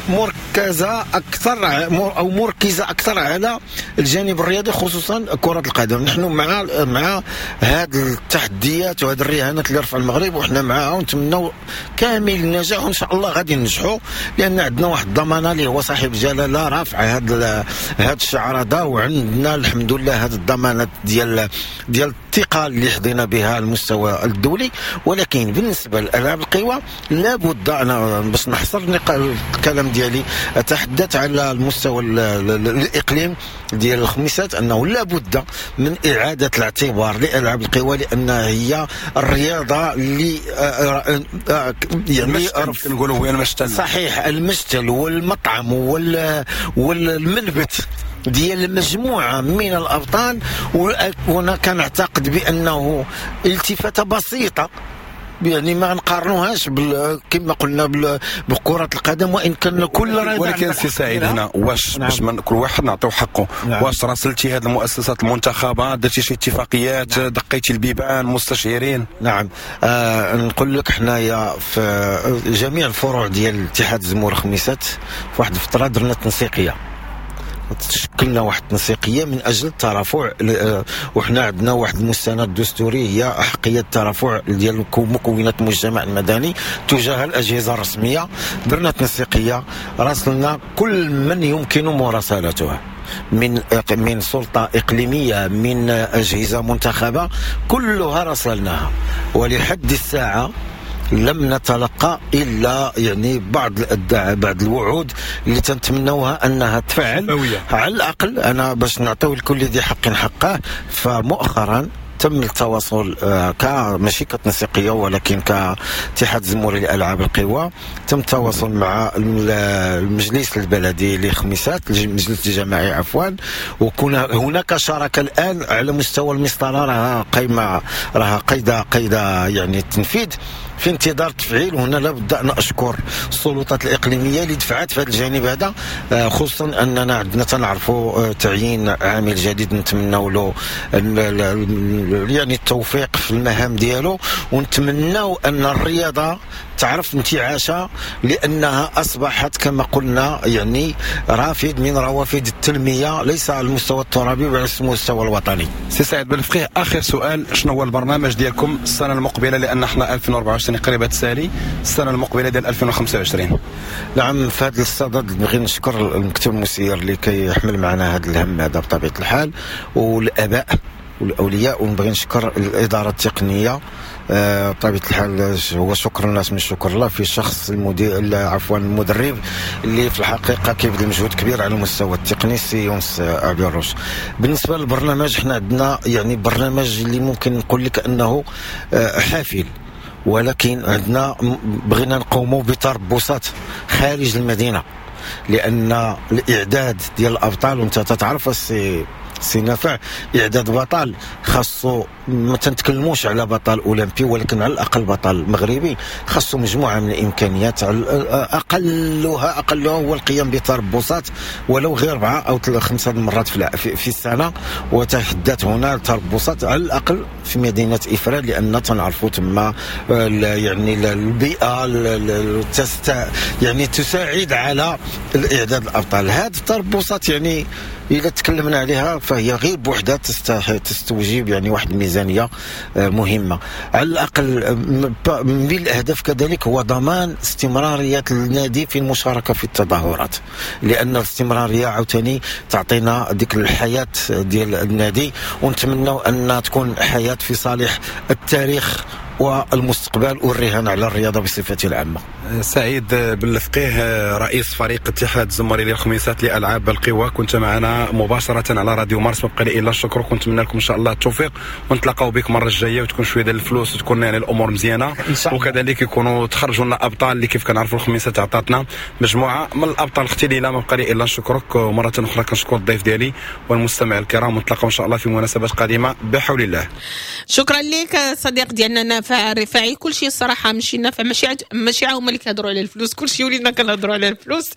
مركزة أكثر أو مركزة أكثر على الجانب الرياضي، خصوصا كرة القدم. نحن مع مع هذه التحديات وهذه الرهانات اللي رفع المغرب، وحنا معها ونتمنوا كامل النجاح، وإن شاء الله غادي ننجحوا، لأن عندنا واحد الضمانة اللي هو صاحب الجلالة رافع هذا هذا الشعار هذا، وعندنا الحمد لله هذه الضمانات ديال ديال الثقة اللي حظينا بها المستوى الدولي. ولكن بالنسبة لألعاب القوى لابد أنا باش نحصر الكلام ديالي أتحدث على المستوى الإقليم ديال الخميسات، أنه لابد من إعادة الاعتبار لألعاب القوى، لأن هي الرياضة اللي يعني
نقولوا هي المشتل.
صحيح، المشتل والمطعم والمنبت ديال مجموعة من الابطال، وانا كنعتقد بانه التفاته بسيطة، يعني ما نقارنوهاش بال... كما قلنا بكرة القدم، وان كان كل رياضة.
ولكن سي سعيد هنا واش نعم. باش من كل واحد نعطيو حقه. نعم. واش راسلتي هذه المؤسسات المنتخبة، درتي شي اتفاقيات؟ نعم. دقيتي البيبان مستشيرين؟
نعم. آه نقول لك حنايا في جميع الفروع ديال اتحاد زمور الخميسات في واحد الفترة درنا تنسيقية، تشكلنا واحد التنسيقيه من اجل الترافع، وحنا عندنا واحد المستند الدستوري هي احقية الترافع ديال مكونات المجتمع المدني تجاه الاجهزة الرسمية. درنا تنسيقيه، راسلنا كل من يمكن مراسلته من من سلطة اقليمية، من اجهزة منتخبه، كلها راسلناها، ولحد الساعة لم نتلقى الا يعني بعض الادعاء، بعض الوعود اللي تنتمنوها انها تفعل. على الاقل انا باش نعطيو لكل ذي حق حقه، فمؤخرا تم التواصل ك ماشي كتنسيقيه ولكن كاتحاد زموري لالعاب القوى، تم التواصل مع المجلس البلدي لخميسات، المجلس الجماعي عفوا، وكنا هناك شراكة الان على مستوى المسطره، راها قايمة، راها قيده قيده يعني التنفيذ في انتظار تفعيل. وهنا لابد ان اشكر السلطات الاقليمية اللي دفعت في هذا الجانب هذا، خصوصا اننا عندنا تنعرفوا تعيين عامل جديد نتمنوا له يعني التوفيق في المهام ديالو، ونتمنوا ان الرياضة تعرف انتعاشها، لانها اصبحت كما قلنا يعني رافد من روافد التنمية، ليس على المستوى الترابي بل على المستوى الوطني.
سي سعيد بالفقيه، اخر سؤال، شنو هو البرنامج ديالكم السنة المقبلة، لان احنا ألفين وأربعة وعشرين قريبه تسالي، السنة المقبلة ديال ألفين وخمسة وعشرين؟
نعم، في هذا الصدد نبغي نشكر المكتب المسير اللي كيحمل معنا هذا الهم هذا بطبيعة الحال، والاباء والاولياء، ونبغي نشكر الادارة التقنية بطبيعة الحال. هو شكر الناس من شكر الله في شخص المدير، عفوا المدرب، اللي في الحقيقة كيبذل مجهود كبير على المستوى التقني، سي يونس ابي الروش. بالنسبة للبرنامج، حنا عندنا يعني برنامج اللي ممكن نقول لك انه حافل، ولكن عندنا بغينا نقوموا بتربصات خارج المدينة، لان الاعداد ديال الابطال، وانت تتعرف السي سي نافع، اعداد بطل خاصو، ما تنتكلموش على بطل اولمبي ولكن على الاقل بطل مغربي، خاصو مجموعة من الامكانيات، اقلها اقلها هو القيام بتربصات ولو غير اربعة او خمسة مرات في في السنة. وتحدث هنا تربصات على الاقل في مدينة افران، لان تنعرفوا تما يعني البيئة يعني تساعد على الاعداد الابطال. هذه التربصات يعني إذا تكلمنا عليها فهي غير بوحدها تستوجب يعني واحد الميزانية مهمة. على الأقل من الأهداف كذلك هو ضمان استمرارية النادي في المشاركة في التظاهرات، لأن الاستمرارية عاوتاني تعطينا ديك الحياة ديال النادي، ونتمنى أن تكون حياة في صالح التاريخ والمستقبل والرهان على الرياضة بصفة العامة.
سعيد بالفقيه، رئيس فريق اتحاد الزمري للخميسات لألعاب القوى، كنت معنا مباشرة على راديو مارس. ما بقى لي إلا الشكر، كنتمنى لكم إن شاء الله التوفيق، ونتلاقاو بك المرة الجاية وتكون شوية ديال الفلوس وتكون يعني الأمور مزيانة، وكذلك يكونوا تخرجوا لنا أبطال اللي كيف كنعرفوا الخميسات عطاتنا مجموعة من الأبطال. اختي ليلى، ما بقى لي إلا نشكرك، ومرة أخرى كنشكر الضيف ديالي والمستمع الكرام، ونتلاقاو إن شاء الله في مناسبات قادمة بحول الله.
شكرا لك صديق ديالنا نافع الرفاعي. كل شيء الصراحة ماشي نافع، ماشي عج... ماشي هما اللي كيهضروا على الفلوس، كل شيء ولينا كنهضروا على الفلوس.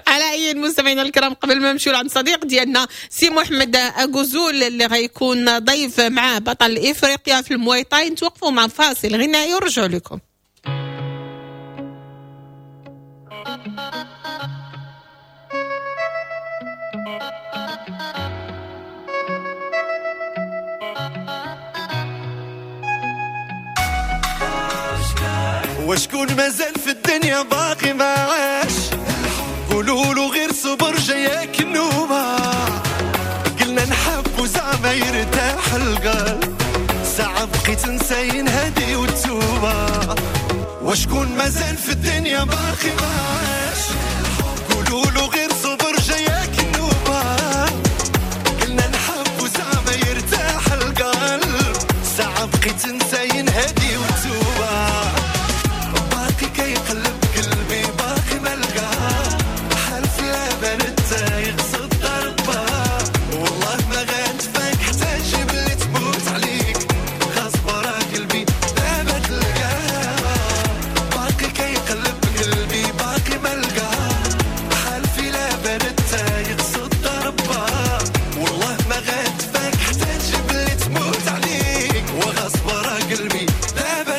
على اي المستمعين الكرام، قبل ما نمشيو لعند صديق ديالنا سي محمد أكوزول اللي غيكون ضيف مع بطل افريقيا في المواي تاي، نتوقفوا مع فاصل غنائي ونرجعوا لكم.
وشكون مازال في الدنيا باقي ما عاش، قولوا له غير صبر جاياك النوبة، قلنا نحب زعما يرتاح القلب، ساعة بقيت نساين هادي والتوبة. وشكون مازال في الدنيا باقي ما عاش، قولوا له غير صبر جاياك النوبة، قلنا نحب زعما يرتاح القلب، ساعة بقيت نساين هادي والتوبة. باقي كيقلب قلبي باقي ما لقاه، حالف لا بان التايق صد ضربة،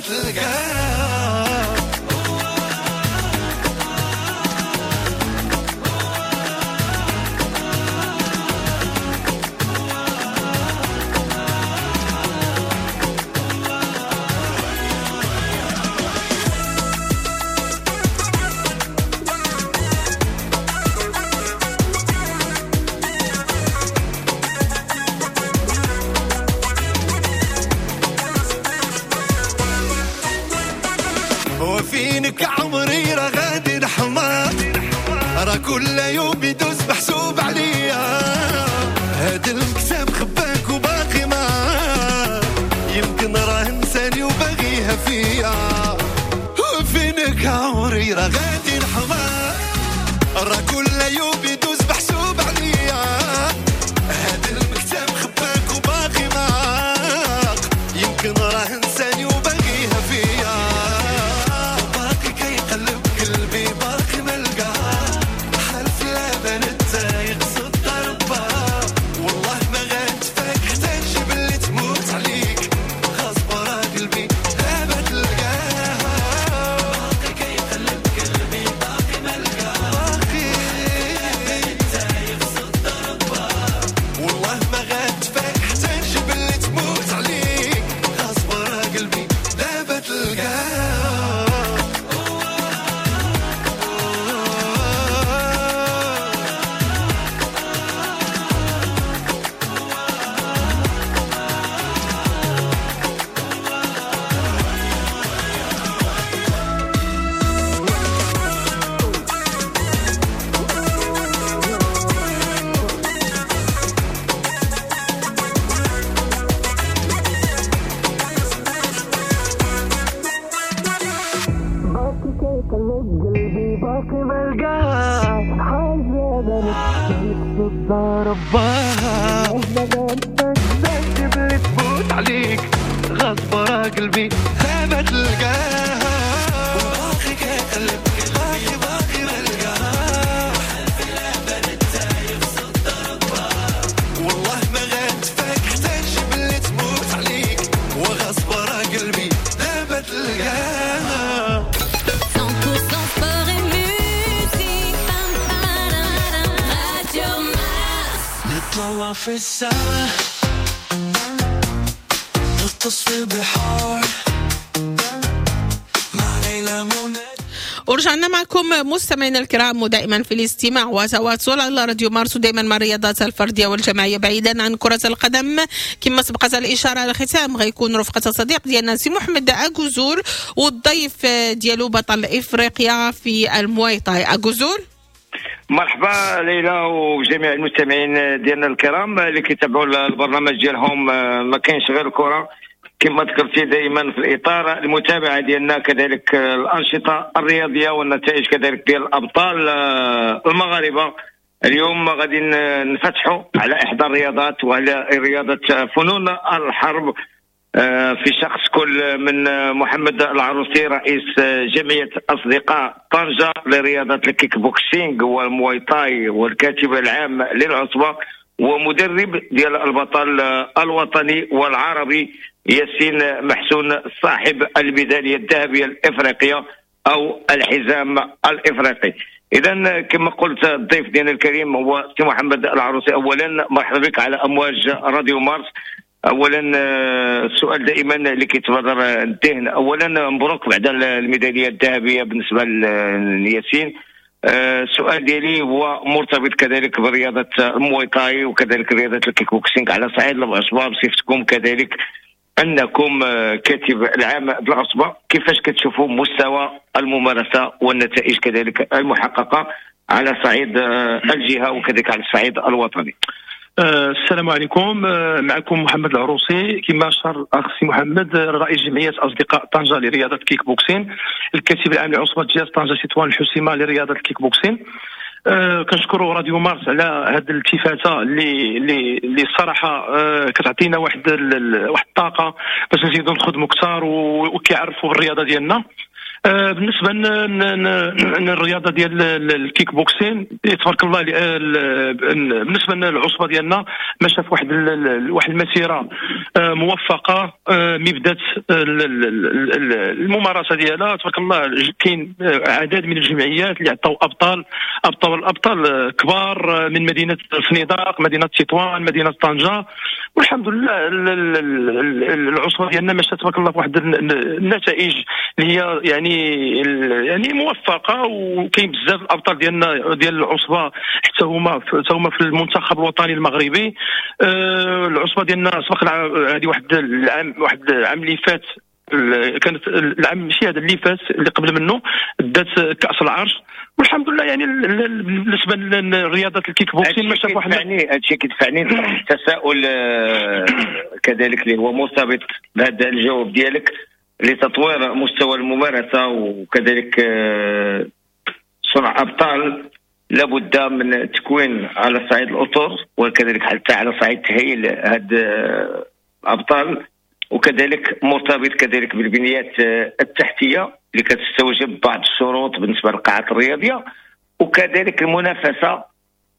تلقاها. وفينك عمري راه غادي نحمر، راه كل يوم يدوز محسوب عليا. هاد المكتب خباك وباقي ما يمكن راه نساني وباغيها فيا. وفينك عمري راه غادي نحمر، راه كل يوم يدوز محسوب عليا. هاد المكتب خباك وباقي ما يمكن راه نساني وباغيها فيا.
في السما نغطس في البحار مع ليلى منى.
ورجعنا معكم مستمعينا الكرام، ودائما في الاستماع وتواصل على راديو مارس، ودائما مع الرياضات الفردية والجماعيه بعيدا عن كره القدم. كما سبقت الاشارة على الختام غيكون رفقه صديق ديالنا سي محمد اكوزول والضيف ديالو بطل افريقيا في المواي تاي. اكوزول
مرحبا ليلى وجميع المستمعين ديالنا الكرام اللي كيتابعوا البرنامج ديالهم ما كاينش غير الكره، كما ذكرتي دائما في الاطار المتابعة ديالنا كذلك الانشطة الرياضية والنتائج كذلك ديال الابطال المغاربة. اليوم غادي نفتحوا على احدى الرياضات وهي رياضة فنون الحرب في شخص كل من محمد العروسي رئيس جمعية أصدقاء طنجة لرياضة الكيك بوكسينغ والمواي تاي والكاتب العام للعصبة ومدرب ديال البطل الوطني والعربي ياسين محسون صاحب الميدالية الذهبية الإفريقية أو الحزام الإفريقي. إذا كما قلت الضيف ديالنا الكريم هو سي محمد العروسي. أولا مرحبا بك على أمواج راديو مارس. اولا السؤال دائما اللي كيتبادر الذهن، اولا مبروك بعد الميداليه الذهبية بالنسبة لياسين. السؤال ديالي هو مرتبط كذلك برياضة المواي تاي وكذلك رياضة الكيك بوكسينغ على صعيد العصبة، بصفتكم كذلك انكم كاتب العام بالعصبة، كيفاش كتشوفوا مستوى الممارسة والنتائج كذلك المحققه على صعيد الجهة وكذلك على الصعيد الوطني؟
السلام عليكم، معكم محمد العروسي كما اشار الاخ سي محمد رئيس جمعية اصدقاء طنجه لرياضه الكيك بوكسين، الكاتب العام لعصبه جهة طنجه تطوان الحسيمه لرياضه الكيك بوكسين. أه كنشكروا راديو مارس على هذه الالتفاته اللي اللي اللي الصراحة أه كتعطينا واحد واحد الطاقة باش نزيدوا نخدموا اكثر وكيعرفوا بالرياضة ديالنا. آه، بالنسبة للرياضة ديال الكيك بوكسين تبارك الله، بالنسبة للعصبه ديالنا مشى في واحد واحد المسيرة آه، موفقة، آه، مي بدات الممارسة ديالها تبارك الله كاين عدد من الجمعيات اللي عطاو ابطال ابطال ابطال كبار من مدينة الفنيدق، مدينة تطوان، مدينة طنجه، والحمد لله العصبة ديالنا مشات تبارك الله بواحد النتائج اللي هي يعني يعني موفقة، وكاين بزاف الابطال ديالنا ديال العصبة حتى هما حتى هما في المنتخب الوطني المغربي. أه العصبة ديالنا سبق هذه واحد العام واحد العام اللي فات، كانت العام ماشي هذا اللي فات اللي قبل منه دات كاس العرش، والحمد لله. يعني بالنسبة لرياضه الكيك بوكسين ماشي واحد
يعني هادشي كيدفعني نطرح تساؤل كذلك اللي هو مرتبط بهذا الجواب ديالك لتطوير مستوى الممارسة وكذلك صنع ابطال، لابد من تكوين على صعيد الاطر وكذلك حتى على صعيد تهيئ هاد الابطال، وكذلك مرتبط كذلك بالبنيات التحتية اللي كتستوجب بعض الشروط بالنسبة للقاعات الرياضية، وكذلك المنافسة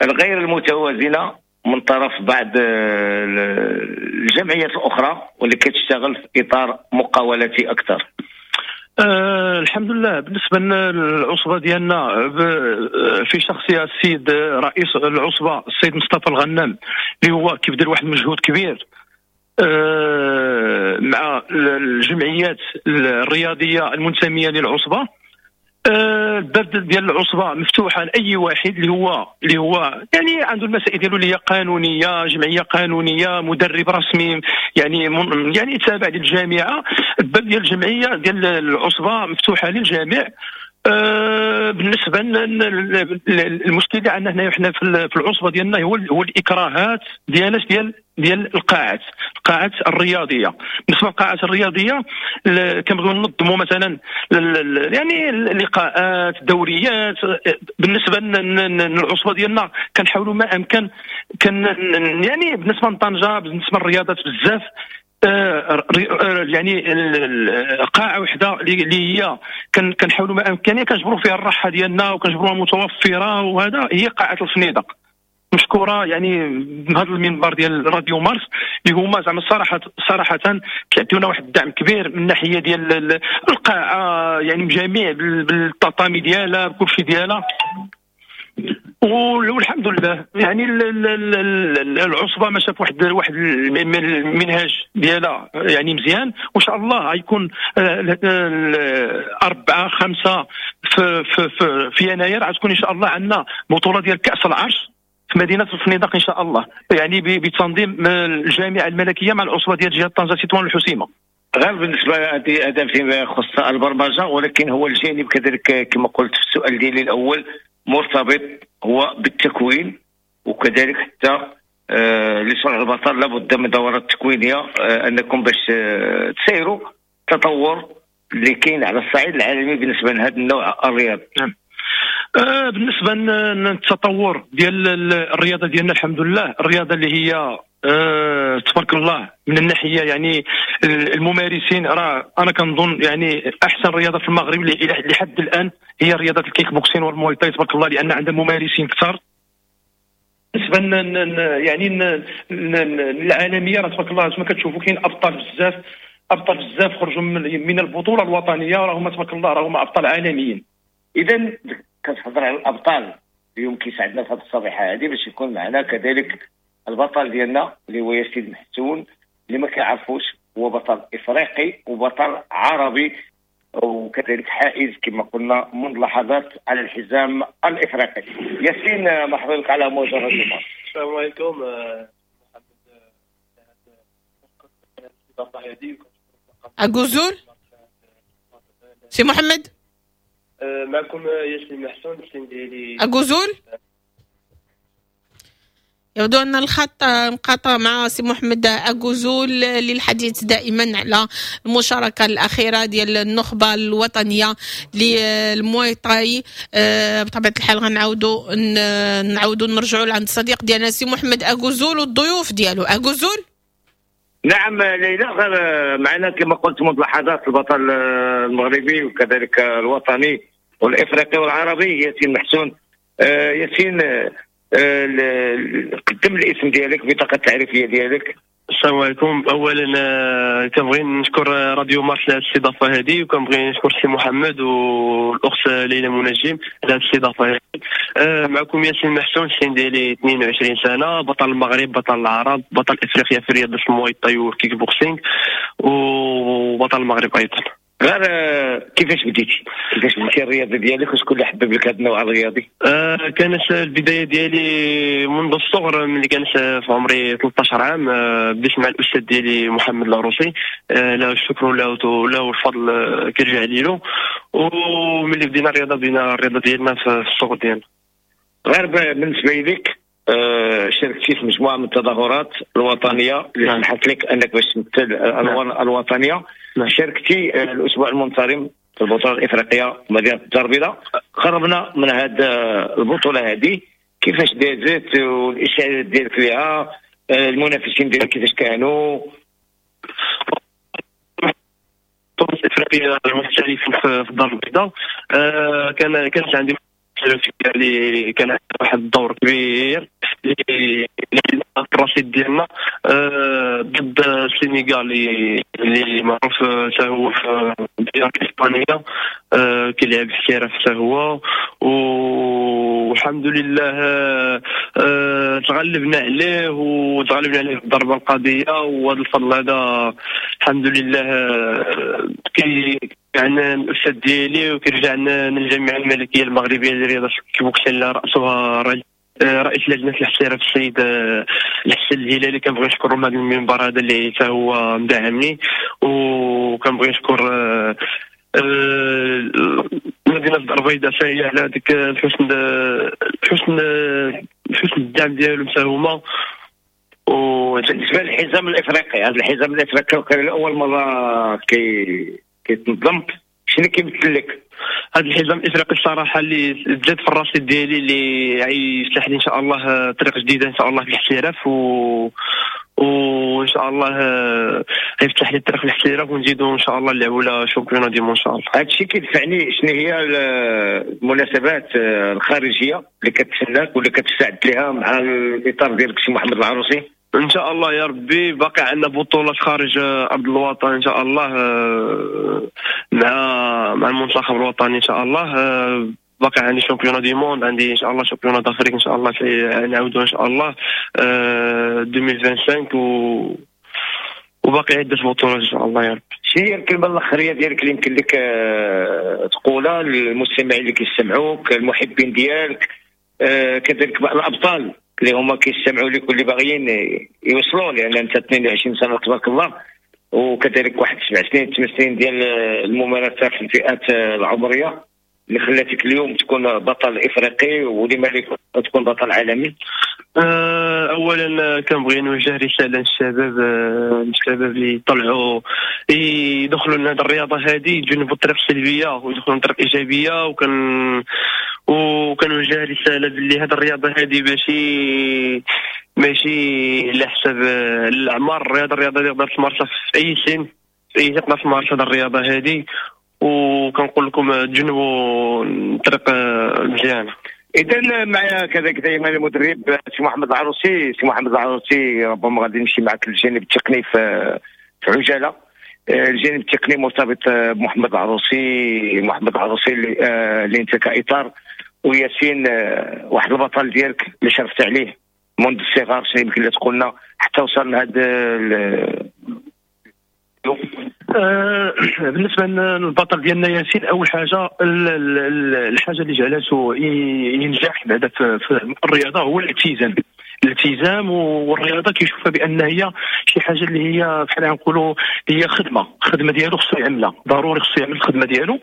الغير المتوازنه من طرف بعض الجمعيات الاخرى واللي كتشتغل في اطار مقاولاتي اكثر.
أه الحمد لله بالنسبة للعصبه ديالنا في شخصية السيد رئيس العصبة السيد مصطفى الغنام اللي هو كيبذل واحد المجهود كبير أه مع الجمعيات الرياضية المنتميه للعصبه. الباب ديال العصبة مفتوحة لاي واحد اللي هو اللي هو يعني عنده المسائل ديالو اللي هي قانونية، جمعية قانونية، مدرب رسمي يعني يعني تابع للجامعة. الباب ديال الجمعية ديال العصبة مفتوحة للجميع. أه بالنسبة للمشكل اللي عندنا هنا حنا في العصبة ديالنا هو هو الاكراهات ديال ديال ديال القاعات القاعات الرياضية. بالنسبة للقاعات الرياضية كنبغيو ننظموا مثلا يعني لقاءات، دوريات. بالنسبة للعصبه ديالنا كنحاولوا ما امكن كن يعني بالنسبة لطنجه بالنسبة للرياضات بزاف يعني قاعة وحده اللي هي كنحاولوا ما امكن كنجبروا فيها الراحة ديالنا وكنجبروها متوفرة، وهذا هي قاعة الفنيدق. مشكورة يعني من هذا المنبر ديال راديو مارس اللي هما زعما الصراحة صراحة كيعطيونا واحد الدعم كبير من ناحية ديال القاعة، يعني بجميع بالتطامي ديالها بكل شيء ديالها، والحمد لله. يعني العصبة ماشية في واحد واحد المنهاج ديالها يعني مزيان، وان شاء الله غيكون أربعة خمسة في في في, في يناير غتكون ان شاء الله عندنا بطوله ديال كاس العرش في مدينة الفنيدق ان شاء الله، يعني بتنظيم الجامعة الملكية مع العصبة ديال جهة طنجه تطوان الحسيمه.
غير بالنسبة هذا فيما يخص البرمجة، ولكن هو الجانب كذلك كما قلت في السؤال ديالي الاول مرتبط هو بالتكوين، وكذلك حتى آه لصنع البطل لابد من دورات تكوينيه آه انكم باش آه تسيروا التطور اللي كاين على الصعيد العالمي بالنسبة لهذا النوع الرياضي.
نعم. آه بالنسبة للتطور ديال الرياضة ديالنا الحمد لله، الرياضة اللي هي أه تبارك الله من الناحية يعني الممارسين راه انا كنظن يعني احسن رياضة في المغرب لحد الان هي رياضة الكيك بوكسين والمواي تاي تبارك الله، لان عندها ممارسين كثر. بالنسبة يعني العالمية راه تبارك الله كما كتشوفوا كاين ابطال بزاف، ابطال بزاف خرجوا من البطولة الوطنية راهم تبارك الله راهم ابطال عالميين.
اذا كتهضر على الابطال اليوم كيساعدنا في هذه الصبيحه هذه باش يكون معنا كذلك البطل ديالنا اللي هو ياسين محسون، اللي ما كيعرفوش هو بطل افريقي وبطل عربي وكذلك حائز كما قلنا منذ لحظات على الحزام الافريقي. ياسين مرحبا بك على موجة راديو مارس.
السلام عليكم.
أكوزول سي محمد،
معكم ياسين محسون السن ديالي
أكوزول. يبدو أن الخط انقطع مع سي محمد أكوزول للحديث دائما على المشاركة الأخيرة ديال النخبة الوطنية للمواي تاي. بطبيعة الحال غنعاودوا نعاودوا نرجعوا لعند الصديق ديالنا سي محمد أكوزول والضيوف ديالو. أكوزول
نعم ليلى، غير معنا كما قلت منذ لحظات البطل المغربي وكذلك الوطني والافريقي والعربي ياسين محسون. ياسين، قدم الاسم ديالك، بطاقة التعريفيه ديالك.
السلام عليكم. اولا كنبغي نشكر راديو مارس على الاستضافة هذه، وكنبغي نشكر سي محمد والاخت ليلى منجم على الاستضافة هذه. معكم ياسين محسون، السن ديالي اثنين وعشرين سنة، بطل المغرب، بطل العرب، بطل افريقيا في رياضة المواي تاي والكيك بوكسينغ، وبطل المغرب ايضا.
غير كيفاش بديتي؟ كيفاش بديتي الرياضة ديالك وشكون اللي حبب لك هذا النوع الرياضي؟
آه كانت البداية ديالي منذ الصغر، ملي كانت في عمري ثلاثة عشر عام. آه بديت مع الاستاذ ديالي محمد العروسي، آه له الشكر وله له الفضل آه كيرجع ليلو. وملي بدينا الرياضة بدينا الرياضة ديالنا في الصغر ديالنا.
غير بالنسبة لك آه شاركتي في مجموعة من التظاهرات الوطنية اللي سمحت لك انك باش تمثل الوطنية. شاركتي الاسبوع المنصرم في البطولة الافريقية مدينة الدار البيضاء. قربنا من هذه البطولة هذه، كيفاش دازت والاشارات ديالك فيها، المنافسين ديالك كيفاش كانوا؟
البطولة الافريقية المحترفين في الدار البيضاء آه كان كانت عندي اللي كان واحد الدور كبير اللي الرصيد ديالنا ضد السنغال اللي معروف حتى هو في الديار الاسبانية، كيلعب احتراف حتى هو، والحمد لله تغلبنا عليه وتغلبنا عليه بالضربه القاضية. وهذا الفضل هذا الحمد لله كي عندنا الاستاذ ديالي وكيرجع لنا للجامعة الملكية المغربية للرياضة الكيك اللي راسها رئيس لجنة الاحتراف السيد الحسن الهلالي. كنبغي نشكره من هذا المنبر هذا اللي حتى هو مدعمني، وكنبغي نشكر مدينة الدار البيضاء حتى هي على هذيك الحسن الحسن حسن الدعم ديالهم حتى هما.
وبالنسبة للحزام الافريقي، هذا الحزام الافريقي كان لاول مرة كي كيتنظم، شنو كيمثل لك
هذا الحزام الافريقي؟ الصراحة اللي زاد في الرصيد ديالي اللي غيفتح لي ان شاء الله طريق جديدة ان شاء الله في الاحتراف، و وان شاء الله غيفتح لي الطريق في الاحتراف ونزيدو ان شاء الله نلعبوا la championnat du monde ان شاء الله.
هذا الشيء كيدفعني، شنو هي المناسبات الخارجية اللي كتسناك واللي كتستعد لها مع الاطار ديالك سي محمد العروسي؟
ان شاء الله يا ربي باقي عندنا بطولات خارج ارض الوطن ان شاء الله مع مع المنتخب الوطني ان شاء الله. باقي عندي championnat du monde، عندي ان شاء الله championnat d'Afrique ان شاء الله نعاودو ان شاء الله ألفين وخمسة وعشرين، و وباقي عده بطولات ان شاء الله يا ربي.
شنو هي الكلمة الاخريه ديالك اللي يمكن لك تقولها للمستمعين اللي كيستمعوك، المحبين ديالك، كذلك بعض الابطال اللي هما كيستمعوا لك واللي باغيين يوصلوا، لان انت اثنين وعشرين سنة تبارك الله، وكذلك واحد سبع سنين ثمان سنين ديال الممارسة في الفئات العمرية اللي خلاتك اليوم تكون بطل افريقي ولما لك تكون بطل عالمي.
اولا كنبغي نوجه رسالة للشباب، للشباب اللي طلعوا يدخلوا لهذه الرياضة هذه، يتجنبوا الطريق السلبية ويدخلوا للطريق الايجابية. وكان وكنوجه رسالة باللي هذه الرياضة هذه ماشي ماشي على حساب الاعمار، الرياضة الرياضة اللي تقدر تمارسها في اي سن، في اي تقدر تمارس هذه الرياضة هذه. وكنقول لكم تجنبوا الطريق مزيانه.
اذا معنا كذلك دائما المدرب سي محمد العروسي. سي محمد العروسي، ربما غادي نمشي معك للجانب التقني في في عجالة. الجانب التقني مرتبط بمحمد العروسي، محمد العروسي اللي, اللي انت كاطار، وياسين واحد البطل ديالك اللي شرفت عليه منذ الصغر، شنو يمكن لك تقولنا حتى وصل لهذا؟
آه بالنسبة للبطل ديالنا ياسين، اول حاجة الحاجة اللي جعلته ينجح بعدا في الرياضة هو الالتزام. الالتزام والرياضة كيشوفها بان هي شي حاجة اللي هي بحال نقولوا هي خدمة، خدمة ديالو خصو يعملها، ضروري خصو يعمل الخدمة ديالو.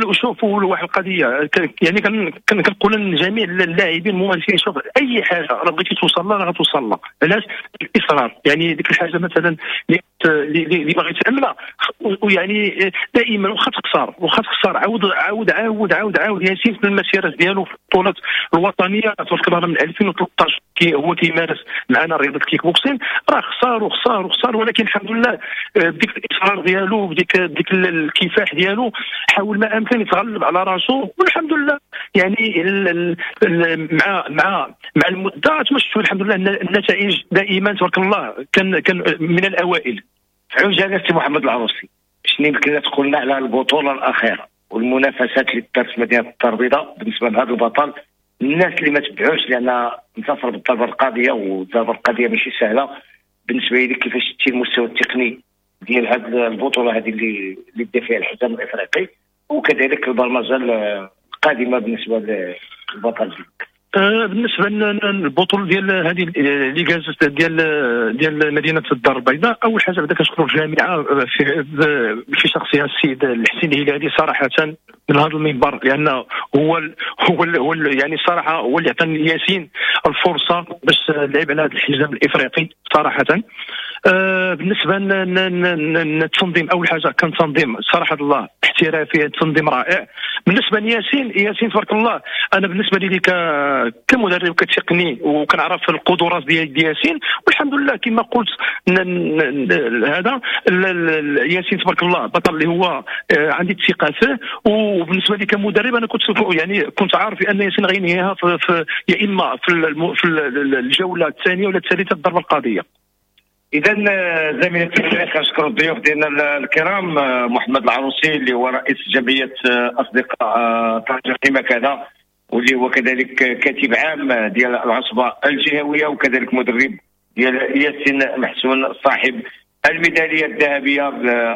وشوفوا واحد القضية، يعني كنقول لجميع اللاعبين الممارسين، شوف اي حاجة راه بغيتي توصل لها راه غتوصل لها. علاش؟ الاصرار، يعني ديك الحاجة مثلا اللي اللي باغي تعملها، ويعني دائما واخا تخسر واخا تخسر عاود عاود عاود عاود عاود. ياسين في المسيرة ديالو في البطولات الوطنية تبارك الله من ألفين وثلاثطاش كي هو كيمارس معنا رياضة الكيك بوكسين، راه خسر وخسر وخسر، ولكن الحمد لله بديك الاصرار ديالو بديك بديك الكفاح ديالو حاول ما امكن يتغلب على راسو، والحمد لله يعني ال ال مع مع مع المدة تمشوا الحمد لله النتائج دائما تبارك الله كان كان من الاوائل.
عجالة سي محمد العروسي، شنو يمكن تقول لنا على البطولة الاخيرة والمنافسات اللي دارت في مدينة الدار البيضاء بالنسبة لهذا البطل؟ الناس اللي ما تبعوش لان انتصر بالضربه القاضية، والضربه القاضية ماشي سهلة بالنسبة لي. كيفاش شتي المستوى التقني ديال هذه البطولة هذه اللي اللي دا فيها الحزام الافريقي، وكذلك البرمجة القادمة بالنسبة للبطل ديالك؟
بالنسبة للبطولة ديال هذه اللي جازت ديال ديال مدينة الدار البيضاء، اول حاجة بعدا كنشكروا الجامعة في في شخصها السيد الحسين الهلالي صراحة من هذا المنبر، لان هو ال هو ال هو ال يعني الصراحة هو اللي عطى ياسين الفرصة باش لعب على هذا الحزام الافريقي صراحة. آه بالنسبة للتنظيم، اول حاجة كان تنظيم صراحة الله احترافي، تنظيم رائع. بالنسبة لياسين، ياسين تبارك الله انا بالنسبة لي كمدرب كتقني وكنعرف القدرات ديال ياسين، والحمد لله كما قلت هذا ياسين تبارك الله بطل اللي هو عندي الثقة فيه. وبالنسبة لي كمدرب انا كنت يعني كنت عارف ان ياسين غينهيها في, في يا اما في, في الجولة الثانية ولا الثالثة الضربة القاضية.
اذا زميلتي كنشكر الضيوف ديالنا الكرام، محمد العروسي اللي هو رئيس جمعية اصدقاء طنجه كما كذا، واللي هو كذلك كاتب عام ديال العصبة الجهوية، وكذلك مدرب ديال ياسين محسون صاحب الميداليه الذهبية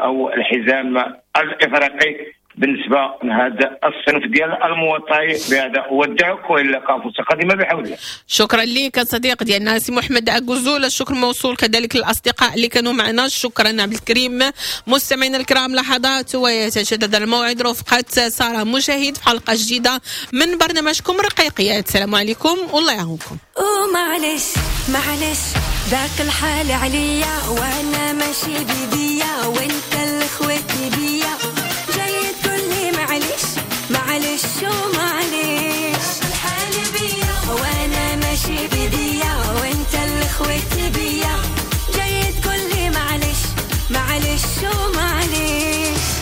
او الحزام الافريقي بالنسبة لهذا الصنف ديال المواطاي. بهذا اودعك والى اللقاء فرصة قادمة بحول الله.
شكرا لك صديق ديالنا سي محمد أكوزول، الشكر موصول كذلك للاصدقاء اللي كانوا معنا. شكرا عبد الكريم. مستمعينا الكرام، لحظات ويتجدد الموعد رفقه ساره مجاهد في حلقة جديدة من برنامجكم رقيقيات. السلام عليكم والله يعاونكم.
ومعلش معلش ذاك الحال عليا وانا ماشي بيدي.